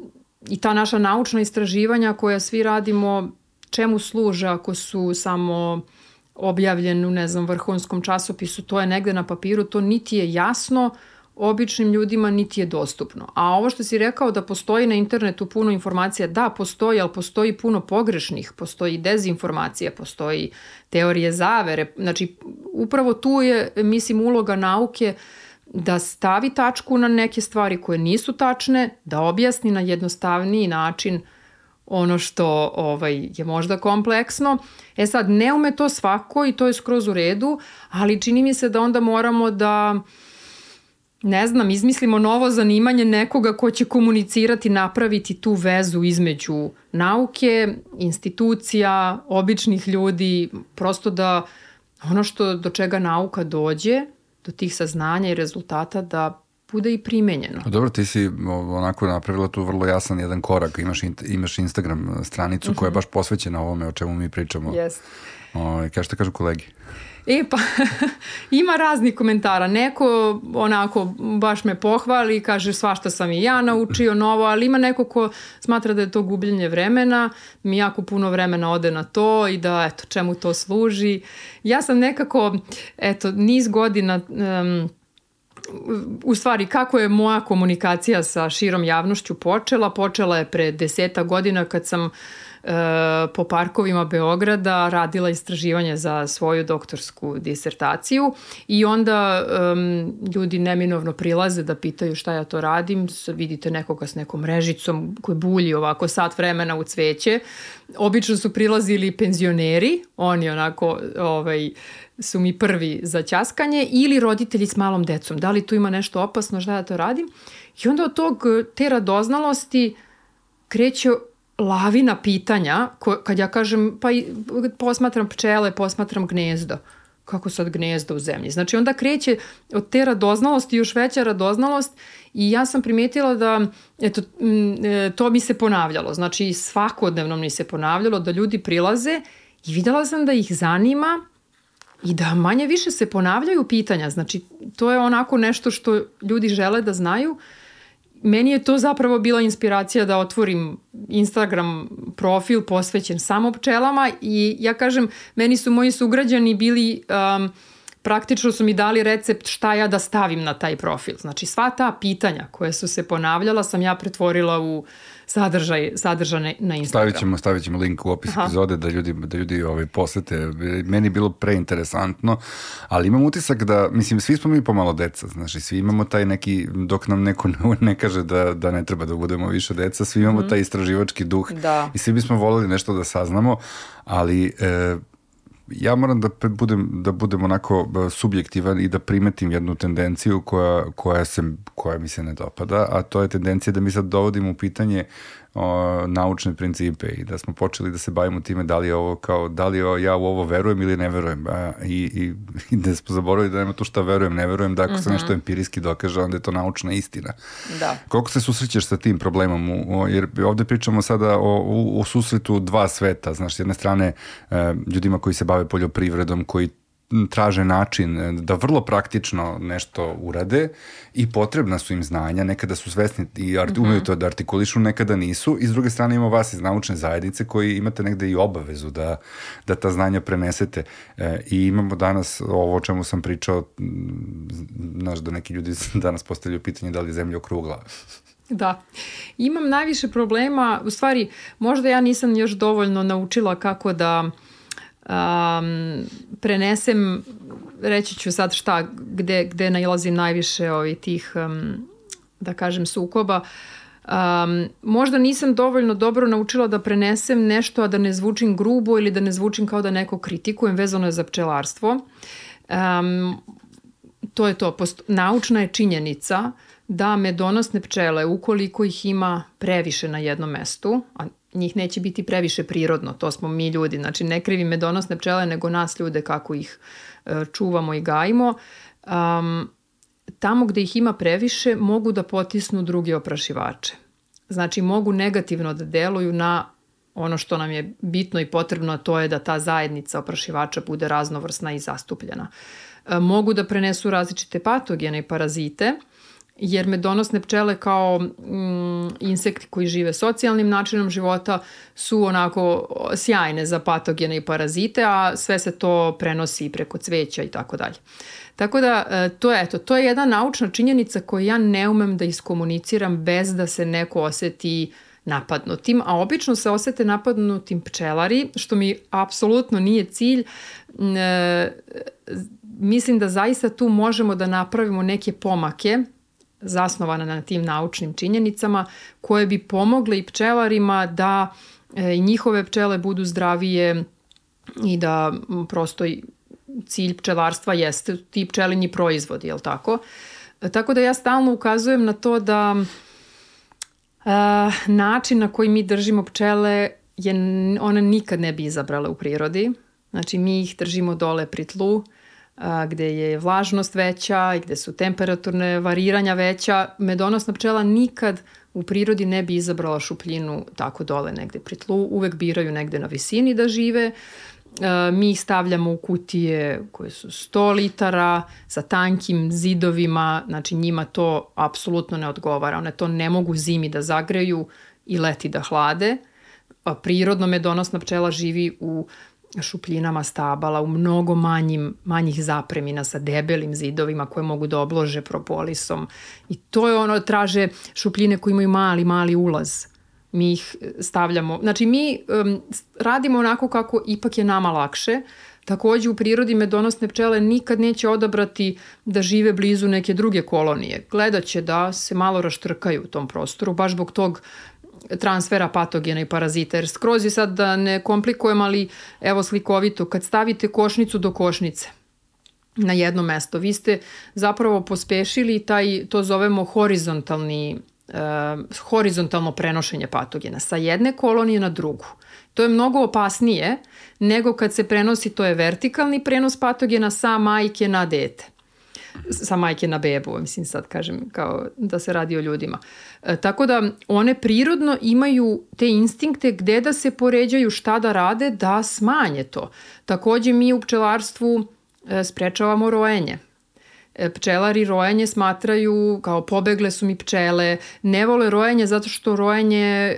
i ta naša naučna istraživanja koja svi radimo, čemu služe ako su samo objavljeni u, ne znam, vrhunskom časopisu, to je negde na papiru, to niti je jasno običnim ljudima, niti je dostupno. A ovo što si rekao da postoji na internetu puno informacija, da, postoji, ali postoji puno pogrešnih, postoji dezinformacija, postoji teorije zavere. Znači, upravo tu je, mislim, uloga nauke da stavi tačku na neke stvari koje nisu tačne, da objasni na jednostavniji način ono što ovaj, je možda kompleksno. E sad, ne ume to svako i to je skroz u redu, ali čini mi se da onda moramo da, ne znam, izmislimo novo zanimanje nekoga ko će komunicirati, napraviti tu vezu između nauke, institucija, običnih ljudi, prosto da ono što do čega nauka dođe, do tih saznanja i rezultata, da bude i primenjeno. Dobro, ti si onako napravila tu vrlo jasan jedan korak. Imaš, imaš Instagram stranicu koja je baš posvećena ovome o čemu mi pričamo. Yes. O, kaže šta kažu kolegi? E pa, ima raznih komentara. Neko onako baš me pohvali i kaže svašta sam i ja naučio novo, ali ima neko ko smatra da je to gubljenje vremena, mi jako puno vremena ode na to i da eto čemu to služi. Ja sam nekako, eto, niz godina... Um, u stvari, kako je moja komunikacija sa širom javnošću počela? Počela je pre deseta godina kad sam e, po parkovima Beograda radila istraživanje za svoju doktorsku disertaciju i onda um, ljudi neminovno prilaze da pitaju šta ja to radim. Sad vidite nekoga s nekom mrežicom koji bulji ovako sat vremena u cveće. Obično su prilazili penzioneri, oni onako ovaj, su mi prvi za ćaskanje, ili roditelji s malom decom. Da li tu ima nešto opasno, šta ja to radim? I onda od tog, te radoznalosti kreće lavina pitanja, ko, kad ja kažem, pa posmatram pčele, posmatram gnezdo. Kako sad gnezdo u zemlji? Znači onda kreće od te radoznalosti još veća radoznalost i ja sam primetila da eto, to mi se ponavljalo. Znači svakodnevno mi se ponavljalo da ljudi prilaze i videla sam da ih zanima i da manje više se ponavljaju pitanja. Znači, to je onako nešto što ljudi žele da znaju. Meni je to zapravo bila inspiracija da otvorim Instagram profil posvećen samo pčelama i ja kažem, meni su moji sugrađani bili, um, praktično su mi dali recept šta ja da stavim na taj profil. Znači, sva ta pitanja koje su se ponavljala sam ja pretvorila u sadržaj, sadržane na Instagram. Stavit ćemo, stavit ćemo link u opis Aha. epizode da ljudi, da ljudi ovaj, posete. Meni je bilo preinteresantno, ali imam utisak da, mislim, svi smo mi pomalo deca, znači, svi imamo taj neki, dok nam neko ne kaže da, da ne treba da budemo više deca, svi imamo mm. taj istraživački duh da. I svi bismo voljeli nešto da saznamo, ali... E, ja moram da budem, da budem onako subjektivan i da primetim jednu tendenciju koja, koja, se, koja mi se ne dopada, a to je tendencija da mi sad dovodimo u pitanje o, naučne principe i da smo počeli da se bavimo time da li je ovo kao, da li ja u ovo verujem ili ne verujem. A, i, i, i da smo zaboravili da nema tu šta verujem, ne verujem, da ako se mm-hmm. nešto empirijski dokaže, onda je to naučna istina. Da. Koliko se susrećeš sa tim problemom? U, jer ovde pričamo sada o, o, o susretu dva sveta. Znaš, s jedne strane e, ljudima koji se bave poljoprivredom, koji traže način da vrlo praktično nešto urade i potrebna su im znanja, nekada su svesni i art, umeju to da artikulišu, nekada nisu, i s druge strane ima vas iz naučne zajednice koji imate negde i obavezu da, da ta znanja prenesete. E, I imamo danas ovo o čemu sam pričao, znaš da neki ljudi danas postavljaju pitanje da li je zemlja okrugla. Da. Imam najviše problema, u stvari možda ja nisam još dovoljno naučila kako da um, prenesem, reći ću sad šta, gde, gde nailazim najviše ovih tih, um, da kažem, sukoba. Um, možda nisam dovoljno dobro naučila da prenesem nešto, a da ne zvučim grubo ili da ne zvučim kao da neko kritikujem, vezano je za pčelarstvo. Um, to je to, posto, naučna je činjenica da medonosne pčele, ukoliko ih ima previše na jednom mestu, a njih neće biti previše prirodno, to smo mi ljudi, znači ne krivi medonosne pčele, nego nas ljude kako ih e, čuvamo i gajimo, um, tamo gde ih ima previše mogu da potisnu druge oprašivače. Znači mogu negativno da deluju na ono što nam je bitno i potrebno, a to je da ta zajednica oprašivača bude raznovrsna i zastupljena. E, mogu da prenesu različite patogene i parazite, jer medonosne pčele kao mm, insekti koji žive socijalnim načinom života su onako sjajne za patogene i parazite, a sve se to prenosi preko cveća i tako dalje. Tako da to je, eto, to je jedna naučna činjenica koju ja ne umem da iskomuniciram bez da se neko oseti napadnutim, a obično se osete napadnutim pčelari, što mi apsolutno nije cilj. E, mislim da zaista tu možemo da napravimo neke pomake zasnovana na tim naučnim činjenicama koje bi pomogle i pčelarima da e, njihove pčele budu zdravije i da prosto cilj pčelarstva jeste ti pčelinji proizvodi, jel tako? E, tako da ja stalno ukazujem na to da e, način na koji mi držimo pčele je, one nikad ne bi izabrale u prirodi. Znači mi ih držimo dole pri tlu, gde je vlažnost veća i gde su temperaturne variranja veća. Medonosna pčela nikad u prirodi ne bi izabrala šupljinu tako dole negde pri tlu. Uvek biraju negde na visini da žive. Mi ih stavljamo u kutije koje su sto litara sa tankim zidovima. Znači njima to apsolutno ne odgovara. One to ne mogu zimi da zagreju i leti da hlade. A prirodno medonosna pčela živi u šupljinama stabala, u mnogo manjim, manjih zapremina sa debelim zidovima koje mogu da oblože propolisom. I to je ono, traže šupljine koje imaju mali, mali ulaz. Mi ih stavljamo, znači mi um, radimo onako kako ipak je nama lakše. Takođe u prirodi medonosne pčele nikad neće odabrati da žive blizu neke druge kolonije. Gledat će da se malo raštrkaju u tom prostoru, baš zbog tog transfera patogena i parazita, jer skroz je sad da ne komplikujem, ali evo slikovito, kad stavite košnicu do košnice na jedno mesto, vi ste zapravo pospešili taj, to zovemo horizontalni, uh, horizontalno prenošenje patogena sa jedne kolonije na drugu. To je mnogo opasnije nego kad se prenosi, to je vertikalni prenos patogena sa majke na dete. Sa majke na bebu, mislim sad kažem kao da se radi o ljudima. E, tako da one prirodno imaju te instinkte gde da se poređaju, šta da rade, da smanje to. Takođe mi u pčelarstvu e, sprečavamo rojenje. E, pčelari rojenje smatraju kao pobegle su mi pčele, ne vole rojenje zato što rojenje e,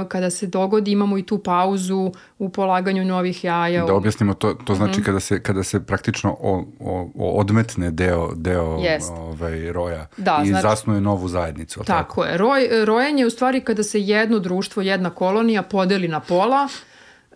kada se dogodi imamo i tu pauzu u polaganju novih jaja. Da objasnimo, to, to znači mm-hmm. kada, se, kada se praktično o, o, o odmetne deo, deo ovaj, roja da, i znači, zasnuje novu zajednicu. Tako, tako je. Roj, rojenje je u stvari kada se jedno društvo, jedna kolonija podeli na pola,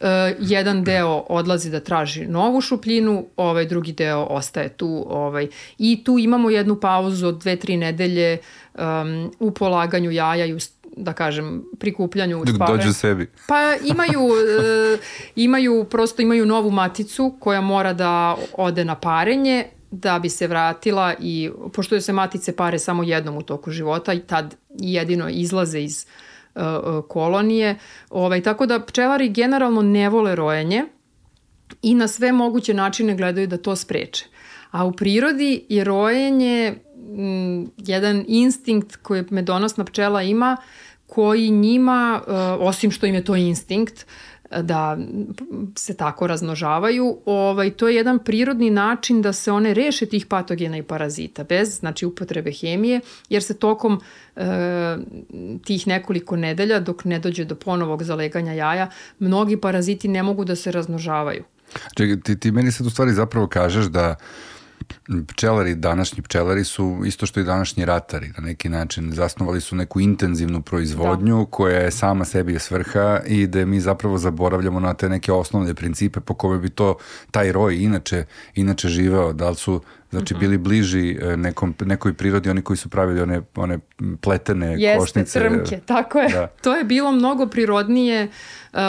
Uh, jedan deo odlazi da traži novu šupljinu, ovaj drugi deo ostaje tu, ovaj i tu imamo jednu pauzu od dve, tri nedelje um, u polaganju jaja i u, da kažem, prikupljanju dok dođu sebi. Pa imaju uh, imaju prosto imaju novu maticu koja mora da ode na parenje da bi se vratila, i pošto se matice pare samo jednom u toku života i tad jedino izlaze iz kolonije. Ovaj, tako da pčelari generalno ne vole rojenje i na sve moguće načine gledaju da to spreče. A u prirodi je rojenje m, jedan instinkt koji medonosna pčela ima, koji njima, uh, osim što im je to instinkt, da se tako razmnožavaju. Ovaj, to je jedan prirodni način da se one reše tih patogena i parazita, bez znači upotrebe hemije, jer se tokom e, tih nekoliko nedelja, dok ne dođe do ponovog zaleganja jaja, mnogi paraziti ne mogu da se razmnožavaju. Čekaj, ti, ti meni sad u stvari zapravo kažeš da pčelari, današnji pčelari su isto što i današnji ratari, na neki način zasnovali su neku intenzivnu proizvodnju da. koja je sama sebi svrha i da mi zapravo zaboravljamo na te neke osnovne principe po kome bi to taj roj inače, inače živeo, da li su znači bili bliži nekom, nekoj prirodi, oni koji su pravili one, one pletene Jeste, košnice. Jeste, trmke, tako je. Da. To je bilo mnogo prirodnije,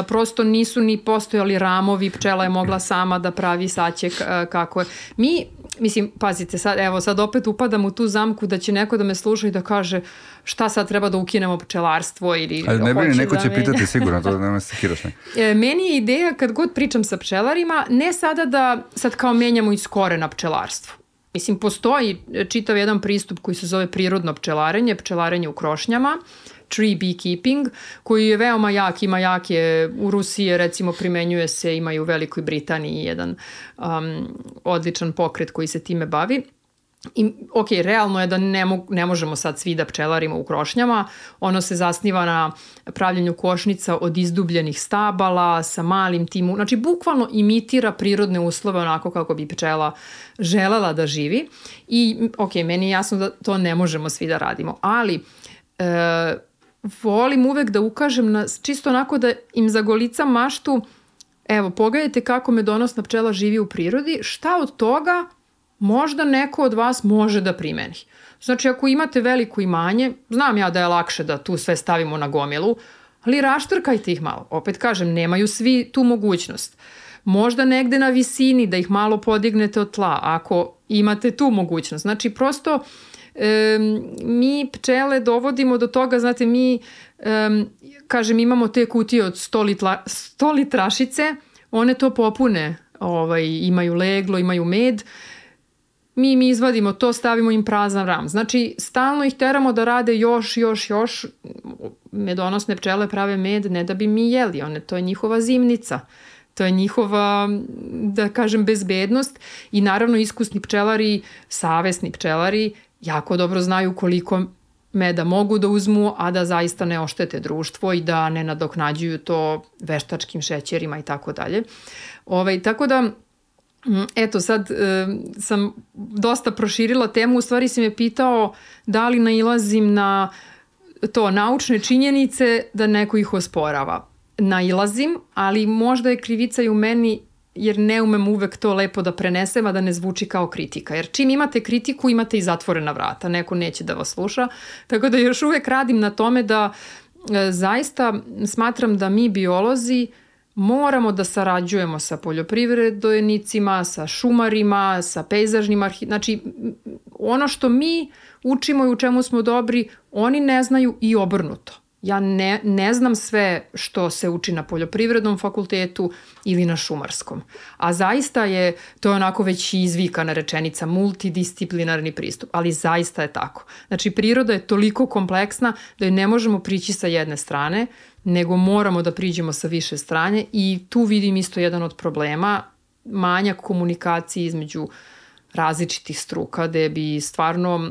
prosto nisu ni postojali ramovi, pčela je mogla sama da pravi saček kako je. Mi, mislim, pazite, sad, evo, sad opet upadam u tu zamku da će neko da me sluša i da kaže šta sad treba da ukinemo pčelarstvo ili ali ne brini, neko da će menja. pitati sigurno, to nema se kiraš ne. E, meni je ideja kad god pričam sa pčelarima, ne sada da sad kao menjamo iz korena pčelarstvo. Mislim, postoji čitav jedan pristup koji se zove prirodno pčelarenje, pčelarenje u krošnjama, tree beekeeping, koji je veoma jak, ima jak je u Rusiji, recimo primenjuje se, ima i u Velikoj Britaniji jedan um, odličan pokret koji se time bavi. I, ok, realno je da ne, mo- ne možemo sad svi da pčelarimo u krošnjama, ono se zasniva na pravljenju košnica od izdubljenih stabala sa malim timu, znači bukvalno imitira prirodne uslove onako kako bi pčela želela da živi i ok, meni je jasno da to ne možemo svi da radimo, ali e, volim uvek da ukažem na, čisto onako da im zagolicam maštu, evo pogledajte kako medonosna pčela živi u prirodi, šta od toga možda neko od vas može da primeni. Znači, ako imate veliko imanje, znam ja da je lakše da tu sve stavimo na gomilu, ali raštrkajte ih malo. Opet kažem, nemaju svi tu mogućnost. Možda negde na visini da ih malo podignete od tla, ako imate tu mogućnost. Znači, prosto e, mi pčele dovodimo do toga, znate, mi, e, kažem, imamo te kutije od sto, litla, sto litrašice, one to popune, ovaj, imaju leglo, imaju med, mi im izvadimo to, stavimo im prazan ram. Znači, stalno ih teramo da rade još, još, još. Medonosne pčele prave med, ne da bi mi jeli. One, to je njihova zimnica. To je njihova, da kažem, bezbednost. I naravno, iskusni pčelari, savesni pčelari, jako dobro znaju koliko meda mogu da uzmu, a da zaista ne oštete društvo i da ne nadoknađuju to veštačkim šećerima i tako dalje. Ovaj, tako da, eto, sad e, sam dosta proširila temu, u stvari si me pitao da li nailazim na to naučne činjenice da neko ih osporava. Nailazim, ali možda je krivica i u meni jer ne umem uvek to lepo da prenesem, a da ne zvuči kao kritika. Jer čim imate kritiku, imate i zatvorena vrata. Neko neće da vas sluša. Tako da još uvek radim na tome da e, zaista smatram da mi biolozi moramo da sarađujemo sa poljoprivrednicima, sa šumarima, sa pejzažnim arhi... Znači, ono što mi učimo i u čemu smo dobri, oni ne znaju i obrnuto. Ja ne, ne znam sve što se uči na poljoprivrednom fakultetu ili na šumarskom. A zaista je, to je onako već izvikana rečenica, multidisciplinarni pristup. Ali zaista je tako. Znači, priroda je toliko kompleksna da joj ne možemo prići sa jedne strane, nego moramo da priđemo sa više strane i tu vidim isto jedan od problema, manjak komunikacije između različitih struka, gde bi stvarno,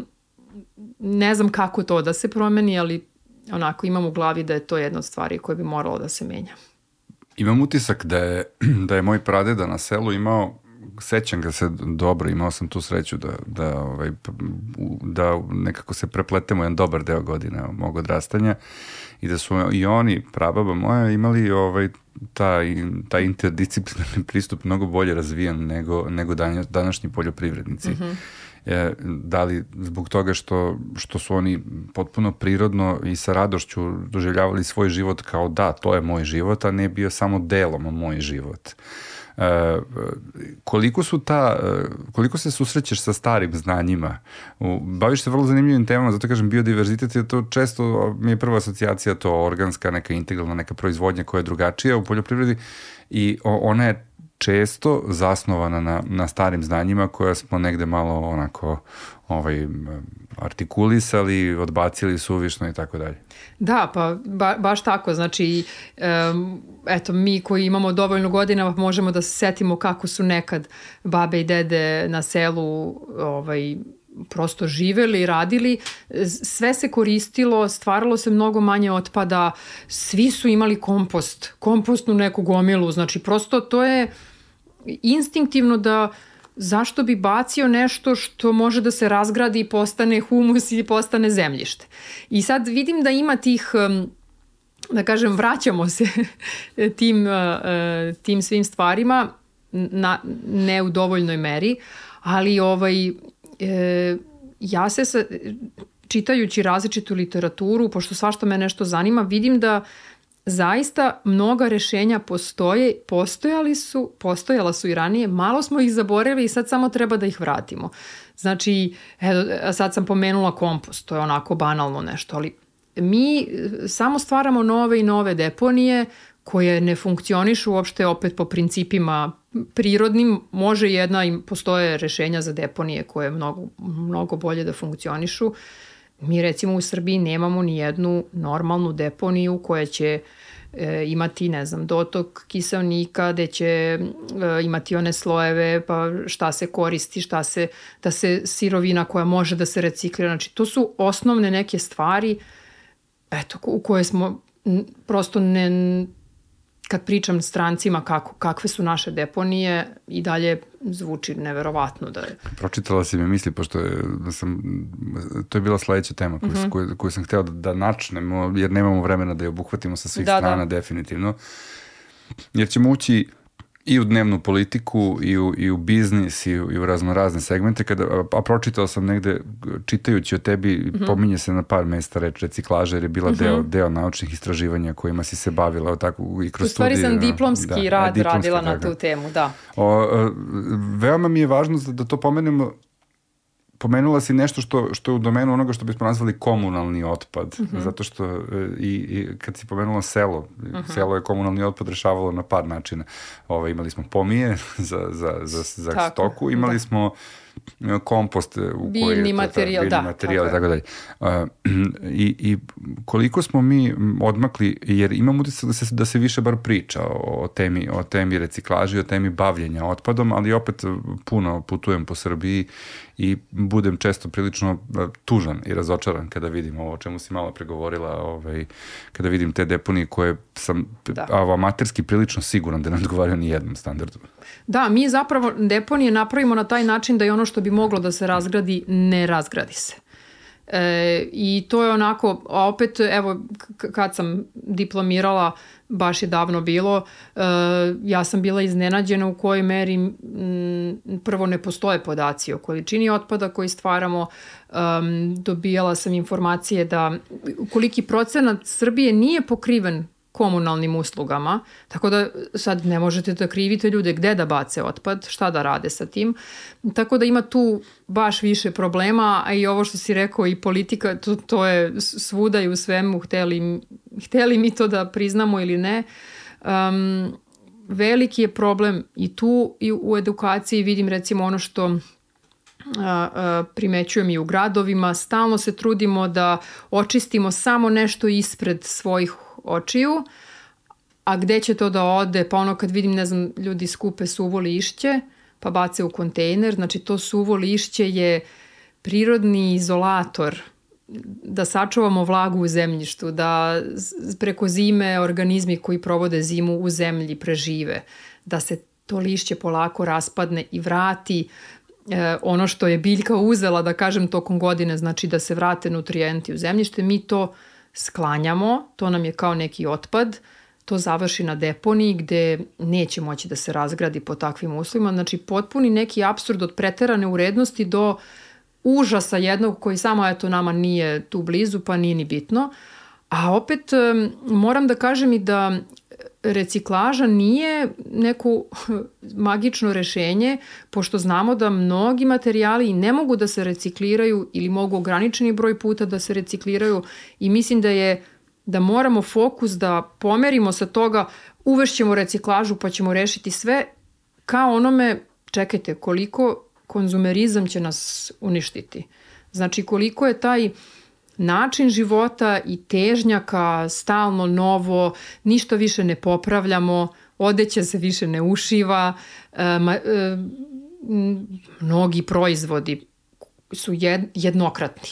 ne znam kako to da se promeni, ali onako imam u glavi da je to jedna od stvari koje bi moralo da se menja. Imam utisak da je, da je moj pradeda na selu imao, sećam ga se dobro, imao sam tu sreću da, da, ovaj, da nekako se prepletemo jedan dobar deo godine mog odrastanja i da su i oni, prababa moja, imali ovaj, taj, taj interdisciplinarni pristup mnogo bolje razvijan nego, nego današnji poljoprivrednici. Mm-hmm. E, da li zbog toga što, što su oni potpuno prirodno i sa radošću doživljavali svoj život kao da, to je moj život, a ne bio samo delom moj život. E, koliko su ta, koliko se susrećeš sa starim znanjima? Baviš se vrlo zanimljivim temama, zato kažem biodiverzitet je to često, mi je prva asocijacija to organska, neka integralna, neka proizvodnja koja je drugačija u poljoprivredi i ona je često zasnovana na, na starim znanjima koja smo negde malo onako ovaj, artikulisali, odbacili suvišno i tako dalje. Da, pa ba, baš tako. Znači, um, eto, mi koji imamo dovoljno godina možemo da se setimo kako su nekad babe i dede na selu ovaj, prosto živeli, radili, sve se koristilo, stvaralo se mnogo manje otpada, svi su imali kompost, kompostnu neku gomilu, znači prosto to je instinktivno da zašto bi bacio nešto što može da se razgradi i postane humus i postane zemljište. I sad vidim da ima tih, da kažem, vraćamo se tim, tim svim stvarima, na, ne u dovoljnoj meri, ali ovaj, e, ja se sa, čitajući različitu literaturu, pošto svašta me nešto zanima, vidim da zaista mnoga rešenja postoje, postojali su, postojala su i ranije, malo smo ih zaboravili i sad samo treba da ih vratimo. Znači, evo, sad sam pomenula kompost, to je onako banalno nešto, ali mi samo stvaramo nove i nove deponije koje ne funkcionišu uopšte opet po principima prirodnim. Može jedna i postoje rešenja za deponije koje mnogo, mnogo bolje da funkcionišu. Mi recimo u Srbiji nemamo ni jednu normalnu deponiju koja će e, imati, ne znam, dotok kiseonika, gde će e, imati one slojeve, pa šta se koristi, šta se, da se sirovina koja može da se reciklira. Znači, to su osnovne neke stvari, eto, u koje smo prosto ne... Kad pričam strancima kako, kakve su naše deponije, i dalje zvuči neverovatno da je... Pročitala si me misli, pošto je, da sam, to je bila sledeća tema koju, mm-hmm. koju, koju sam hteo da, da načnemo, jer nemamo vremena da je obuhvatimo sa svih da, strana, da. definitivno. Jer ćemo ući i u dnevnu politiku, i u, i u biznis, i u, i u razno razne segmente. Kada, a pročitao sam negde, čitajući o tebi, mm-hmm. pominje se na par mesta reč reciklaža, jer je bila mm-hmm. deo, deo naučnih istraživanja kojima si se bavila tako, i kroz u stvari studije. sam diplomski da, rad diplomski, radila da, na tu temu, da. O, veoma mi je važno da, da to pomenemo. Pomenula si nešto što, što je u domenu onoga što bismo nazvali komunalni otpad, mm-hmm. zato što i, i kad si pomenula selo, mm-hmm. selo je komunalni otpad rešavalo na par načina. Ovo, imali smo pomije za, za, za, za tako, stoku, imali da. smo kompost u biljni koji je materijal, biljni da, materijal i tako dalje. Uh, i, I koliko smo mi odmakli, jer imam utisak da se, da se više bar priča o temi, o temi reciklaže, o temi bavljenja otpadom, ali opet puno putujem po Srbiji i budem često prilično tužan i razočaran kada vidim ovo o čemu si malo pregovorila, ovaj, kada vidim te deponije koje sam da. amaterski prilično siguran da ne odgovaraju ni jednom standardu. Da, mi zapravo deponije napravimo na taj način da je ono što bi moglo da se razgradi, ne razgradi se. E, I to je onako, a opet, evo, k- kad sam diplomirala, baš je davno bilo, e, ja sam bila iznenađena u kojoj meri m, prvo ne postoje podaci o količini otpada koji stvaramo. Um, dobijala sam informacije da koliki procenat Srbije nije pokriven komunalnim uslugama, tako da sad ne možete da krivite ljude gde da bace otpad, šta da rade sa tim. Tako da ima tu baš više problema, a i ovo što si rekao i politika, to, to je svuda i u svemu, hteli, hteli mi to da priznamo ili ne. Um, veliki je problem i tu i u edukaciji, vidim recimo ono što A, a, primećujem i u gradovima, stalno se trudimo da očistimo samo nešto ispred svojih očiju, a gde će to da ode? Pa ono kad vidim, ne znam, ljudi skupe suvo lišće, pa bace u kontejner, znači to suvo lišće je prirodni izolator, da sačuvamo vlagu u zemljištu, da preko zime organizmi koji provode zimu u zemlji prežive, da se to lišće polako raspadne i vrati E, ono što je biljka uzela, da kažem, tokom godine, znači da se vrate nutrijenti u zemljište, mi to sklanjamo, to nam je kao neki otpad, to završi na deponiji gde neće moći da se razgradi po takvim uslovima, znači potpuni neki apsurd od preterane urednosti do užasa jednog koji samo eto nama nije tu blizu pa nije ni bitno, a opet moram da kažem i da reciklaža nije neko magično rešenje, pošto znamo da mnogi materijali ne mogu da se recikliraju ili mogu ograničeni broj puta da se recikliraju i mislim da je da moramo fokus da pomerimo sa toga uvešćemo reciklažu pa ćemo rešiti sve, kao onome, čekajte, koliko konzumerizam će nas uništiti. Znači, koliko je taj način života i težnja ka stalno novo, ništa više ne popravljamo, odeća se više ne ušiva, e, ma, e, mnogi proizvodi su jed, jednokratni.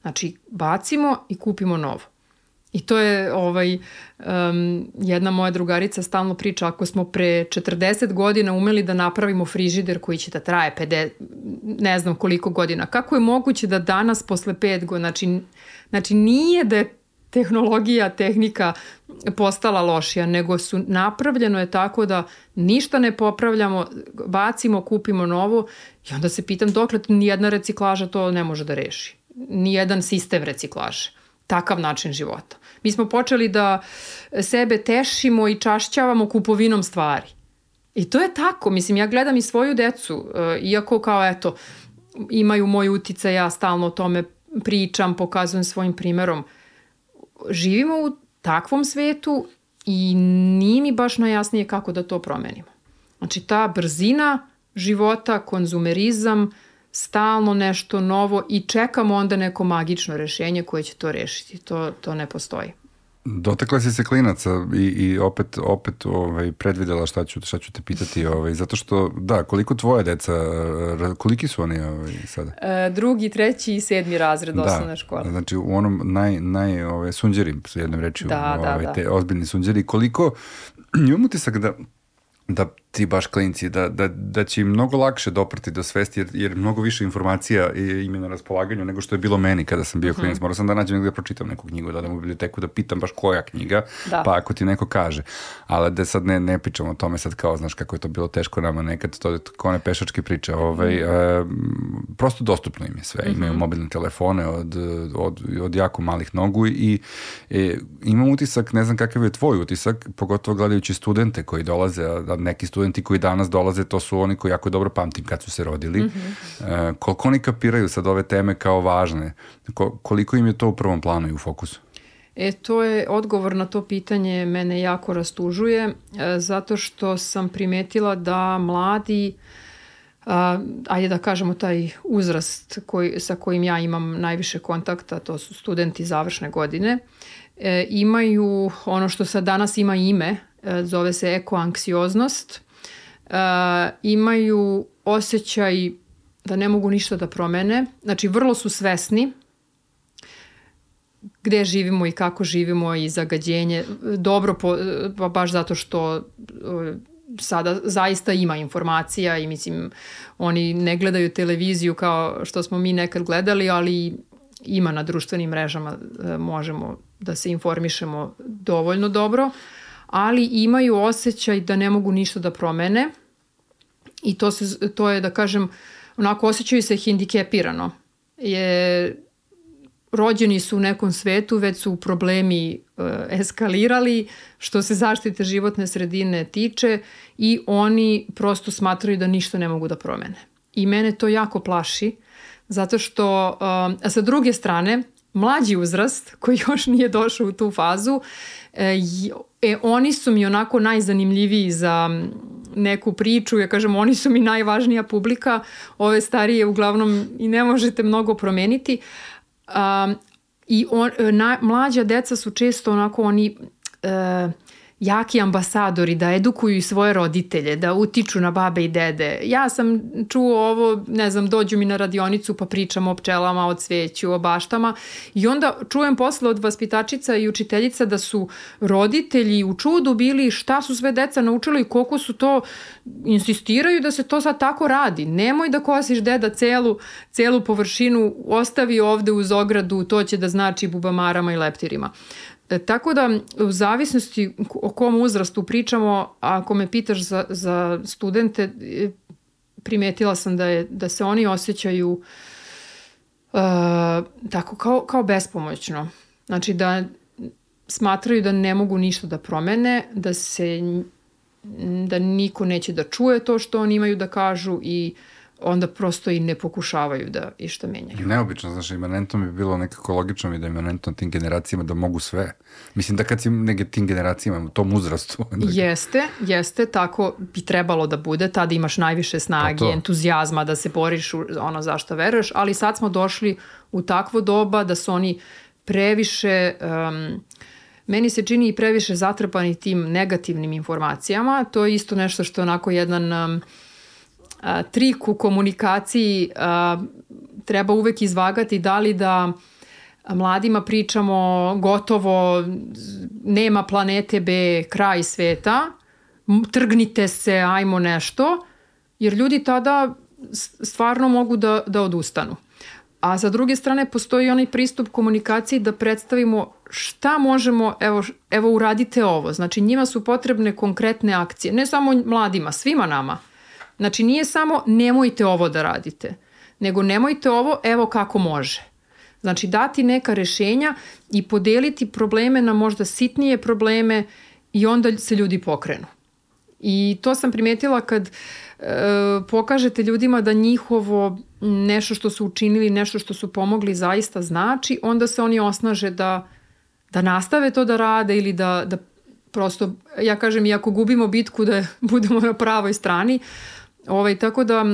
Znači, bacimo i kupimo novo. I to je ovaj, um, jedna moja drugarica stalno priča, ako smo pre četrdeset godina umeli da napravimo frižider koji će da traje pedeset, ne znam koliko godina, kako je moguće da danas posle pet godina, znači, znači nije da je tehnologija, tehnika postala lošija, nego su napravljeno je tako da ništa ne popravljamo, bacimo, kupimo novo i onda se pitam dokle nijedna reciklaža to ne može da reši. Nijedan sistem reciklaže. Takav način života. Mi smo počeli da sebe tešimo i čašćavamo kupovinom stvari. I to je tako. Mislim, ja gledam i svoju decu, iako kao eto, imaju moj uticaj, ja stalno o tome pričam, pokazujem svojim primerom. Živimo u takvom svetu i nije mi baš najjasnije kako da to promenimo. Znači, ta brzina života, konzumerizam, stalno nešto novo i čekamo onda neko magično rešenje koje će to rešiti. To, to ne postoji. Dotakla si se klinaca i, i opet, opet ovaj, predvidela šta ću, šta ću te pitati. Ovaj, zato što, da, koliko tvoje deca, koliki su oni ovaj, sada? E, drugi, treći i sedmi razred osnovne škole. Da, znači u onom naj, naj ovaj, sunđeri, s jednom rečju, da, ovaj, da, da. te ozbiljni sunđeri. Koliko, imam utisak da da ti baš klinci, da, da, da će im mnogo lakše doprati do svesti, jer, jer mnogo više informacija im je na raspolaganju nego što je bilo meni kada sam bio mm-hmm. klinac. Morao sam da nađem negdje da pročitam neku knjigu, da odem u biblioteku, da pitam baš koja knjiga, da. Pa ako ti neko kaže. Ali da sad ne, ne pričamo o tome sad kao, znaš kako je to bilo teško nama nekad, to je kao one pešačke priče. Ovaj, mm-hmm. e, prosto dostupno im je sve. Mm-hmm. Imaju mobilne telefone od, od, od jako malih nogu i e, imam utisak, ne znam kakav je tvoj utisak, pogotovo gledajući studente koji dolaze, a neki studenti koji danas dolaze, to su oni koji jako dobro pamtim kad su se rodili. Mm-hmm. E, koliko oni kapiraju sad ove teme kao važne? Ko, koliko im je to u prvom planu i u fokusu? E, to je odgovor na to pitanje mene jako rastužuje, e, zato što sam primetila da mladi, a, ajde da kažemo taj uzrast koji, sa kojim ja imam najviše kontakta, to su studenti završne godine, e, imaju ono što sad danas ima ime, zove se ekoanksioznost, e, imaju osjećaj da ne mogu ništa da promene, znači vrlo su svesni gde živimo i kako živimo i zagađenje, dobro po, pa baš zato što sada zaista ima informacija i mislim oni ne gledaju televiziju kao što smo mi nekad gledali, ali ima na društvenim mrežama, možemo da se informišemo dovoljno dobro, ali imaju osjećaj da ne mogu ništa da promene i to, se, to je, da kažem, onako osjećaju se hendikepirano. Je, rođeni su u nekom svetu, već su problemi e, eskalirali što se zaštite životne sredine tiče i oni prosto smatraju da ništa ne mogu da promene. I mene to jako plaši, zato što, a sa druge strane, mlađi uzrast koji još nije došao u tu fazu, e, e, oni su mi onako najzanimljiviji za neku priču, ja kažem, oni su mi najvažnija publika, ove starije uglavnom i ne možete mnogo promeniti. Um, i on, na, mlađa deca su često onako oni uh, jaki ambasadori da edukuju svoje roditelje, da utiču na babe i dede. Ja sam čuo ovo, ne znam, dođu mi na radionicu pa pričam o pčelama, o cveću, o baštama i onda čujem posle od vaspitačica i učiteljica da su roditelji u čudu bili šta su sve deca naučili i koliko su to, insistiraju da se to sad tako radi. Nemoj da kosiš deda celu, celu površinu, ostavi ovde uz ogradu, to će da znači bubamarama i leptirima. E, tako da u zavisnosti o kom uzrastu pričamo, ako me pitaš za, za studente, primetila sam da, je, da se oni osjećaju uh, tako kao, kao bespomoćno. Znači da smatraju da ne mogu ništa da promene, da se da niko neće da čuje to što oni imaju da kažu i onda prosto i ne pokušavaju da išta menjaju. Neobično, znaš, imanentno bi bilo nekako logično mi da imanentno tim generacijama da mogu sve. Mislim da kad si neke tim generacijama u tom uzrastu. Jeste, jeste, tako bi trebalo da bude, tada imaš najviše snage, to to. entuzijazma da se boriš u ono zašto veruješ, ali sad smo došli u takvo doba da su oni previše, um, meni se čini i previše zatrpani tim negativnim informacijama, to je isto nešto što je onako jedan... Um, A, trik u komunikaciji a, treba uvek izvagati da li da mladima pričamo gotovo nema planete B, kraj sveta, trgnite se, ajmo nešto, jer ljudi tada stvarno mogu da, da odustanu. A sa druge strane postoji onaj pristup komunikaciji da predstavimo šta možemo, evo, evo uradite ovo. Znači njima su potrebne konkretne akcije, ne samo mladima, svima nama. Znači nije samo nemojte ovo da radite, nego nemojte ovo, evo kako može. Znači dati neka rešenja i podeliti probleme na možda sitnije probleme i onda se ljudi pokrenu. I to sam primetila kad e, pokažete ljudima da njihovo nešto što su učinili, nešto što su pomogli zaista znači, onda se oni osnaže da, da nastave to da rade ili da, da prosto, ja kažem, i ako gubimo bitku da budemo na pravoj strani. Ovaj, tako da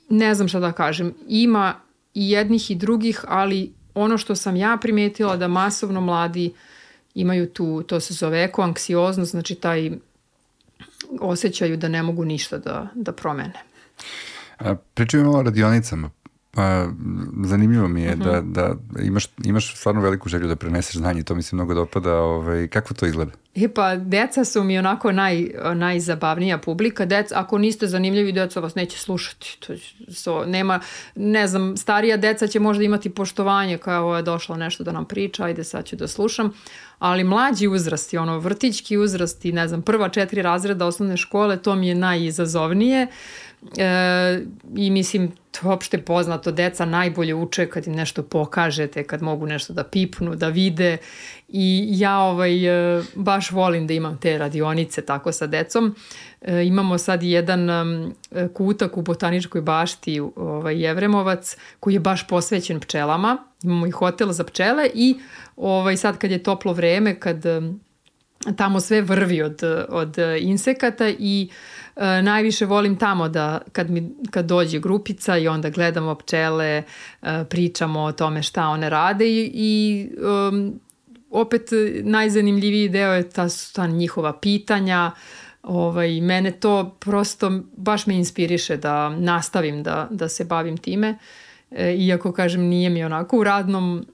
ne znam šta da kažem. Ima i jednih i drugih, ali ono što sam ja primetila da masovno mladi imaju tu, to se zove ekoanksioznost, znači taj osjećaju da ne mogu ništa da, da promene. Pričaju malo o radionicama. Pa, zanimljivo mi je uh-huh. da, da imaš, imaš stvarno veliku želju da preneseš znanje, to mi se mnogo dopada. Ovaj, kako to izgleda? E pa, deca su mi onako naj, najzabavnija publika. Deca, ako niste zanimljivi, deca vas neće slušati. To, so, nema, ne znam, starija deca će možda imati poštovanje kao ovo je došlo nešto da nam priča, ajde sad ću da slušam. Ali mlađi uzrasti, ono vrtićki uzrasti, ne znam, prva četiri razreda osnovne škole, to mi je najizazovnije. E, i mislim, to je opšte poznato, deca najbolje uče kad im nešto pokažete, kad mogu nešto da pipnu, da vide i ja ovaj, baš volim da imam te radionice tako sa decom. E, imamo sad jedan um, kutak u Botaničkoj bašti, ovaj, Jevremovac, koji je baš posvećen pčelama. Imamo i hotel za pčele i ovaj, sad kad je toplo vreme, kad um, tamo sve vrvi od, od insekata i e, najviše volim tamo da kad, mi, kad dođe grupica i onda gledamo pčele, e, pričamo o tome šta one rade i, i um, opet najzanimljiviji deo je ta, ta njihova pitanja. Ovaj, mene to prosto baš me inspiriše da nastavim da, da se bavim time, e, iako kažem nije mi onako u radnom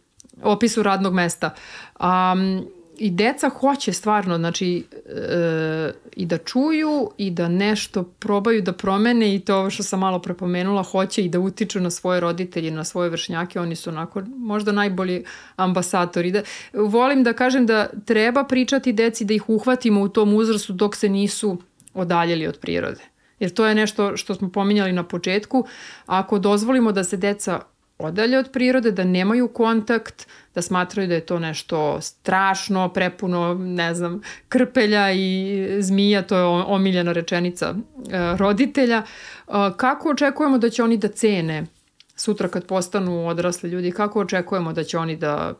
opisu radnog mesta. Um, I deca hoće stvarno, znači, e, i da čuju i da nešto probaju da promene i to ovo što sam malo prepomenula, hoće i da utiču na svoje roditelje, na svoje vršnjake, oni su onako možda najbolji ambasadori. Da, volim da kažem da treba pričati deci, da ih uhvatimo u tom uzrastu dok se nisu odaljeli od prirode. Jer to je nešto što smo pominjali na početku. Ako dozvolimo da se deca odalje od prirode, da nemaju kontakt, da smatraju da je to nešto strašno, prepuno, ne znam, krpelja i zmija, to je omiljena rečenica e, roditelja. E, kako očekujemo da će oni da cene sutra kad postanu odrasli ljudi, kako očekujemo da će oni da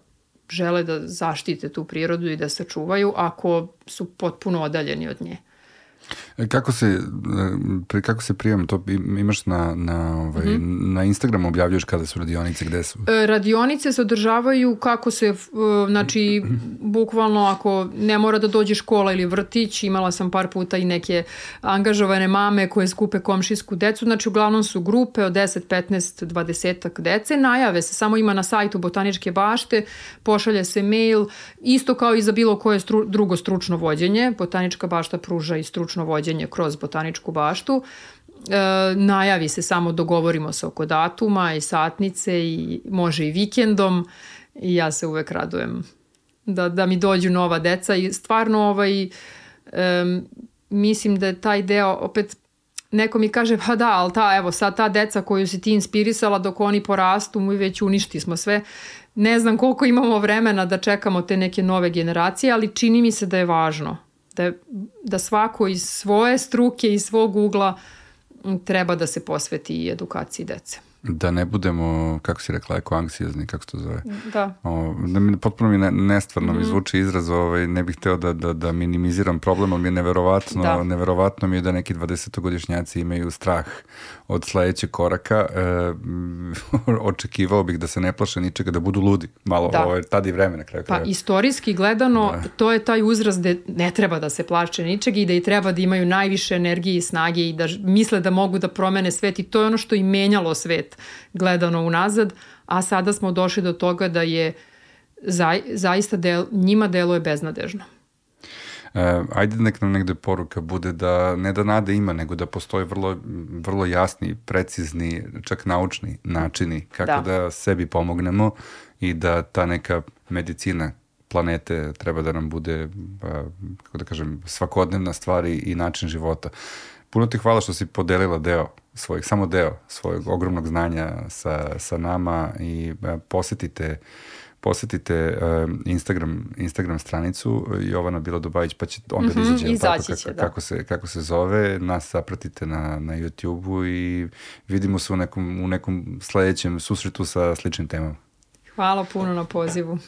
žele da zaštite tu prirodu i da se čuvaju ako su potpuno odaljeni od nje? Kako se, kako se prijam, to imaš na, na, ovaj, mm-hmm. na Instagramu objavljaš kada su radionice, gde su? Radionice se održavaju kako se, znači, bukvalno ako ne mora da dođe škola ili vrtić, imala sam par puta i neke angažovane mame koje skupe komšijsku decu, znači uglavnom su grupe od deset, petnaest, dvadeset dece, najave se, samo ima na sajtu Botaničke bašte, pošalje se mail, isto kao i za bilo koje stru, drugo stručno vođenje, Botanička bašta pruža i stručno vođenje kroz Botaničku baštu. E, najavi se, samo dogovorimo se oko datuma i satnice i može i vikendom i ja se uvek radujem da, da mi dođu nova deca i stvarno ovaj, e, mislim da je taj deo opet neko mi kaže pa da, ali ta, evo sad ta deca koju si ti inspirisala dok oni porastu mi već uništi smo sve. Ne znam koliko imamo vremena da čekamo te neke nove generacije, ali čini mi se da je važno Da, da svako iz svoje struke, iz svog ugla treba da se posveti i edukaciji dece. Da ne budemo, kako si rekla, ekoanksiozni, kako se to zove? Da. O, da mi, potpuno mi ne, nestvarno mm-hmm. mi zvuči izraz, ovaj, ne bih hteo da, da, da minimiziram problem, ali mi je neverovatno, da. neverovatno mi je da neki dvadesetogodišnjaci imaju strah od sledećeg koraka. E, očekivao bih da se ne plaše ničega, da budu ludi. Malo, da. Ovaj, tada i vreme na kraju. Pa kraja. Istorijski gledano, da. To je taj uzrast gde ne treba da se plaše ničega i da i treba da imaju najviše energije i snage i da misle da mogu da promene svet i to je ono što i menjalo svet gledano unazad, a sada smo došli do toga da je za, zaista del, njima deluje beznadežno. E, ajde nek nam negde poruka bude da ne da nade ima, nego da postoje vrlo, vrlo jasni, precizni, čak naučni načini kako da. da sebi pomognemo i da ta neka medicina planete treba da nam bude, kako da kažem, svakodnevna stvar i način života. Puno ti hvala što si podelila deo svojeg, samo deo svojeg ogromnog znanja sa, sa nama i posetite, posetite uh, Instagram, Instagram stranicu Jovana Bilodobajić, pa će onda mm-hmm, izaći, izaći tako, će, kako, da. kako, se, kako se zove. Nas zapratite na, na YouTube-u i vidimo se u nekom, u nekom sledećem susretu sa sličnim temama. Hvala puno na pozivu.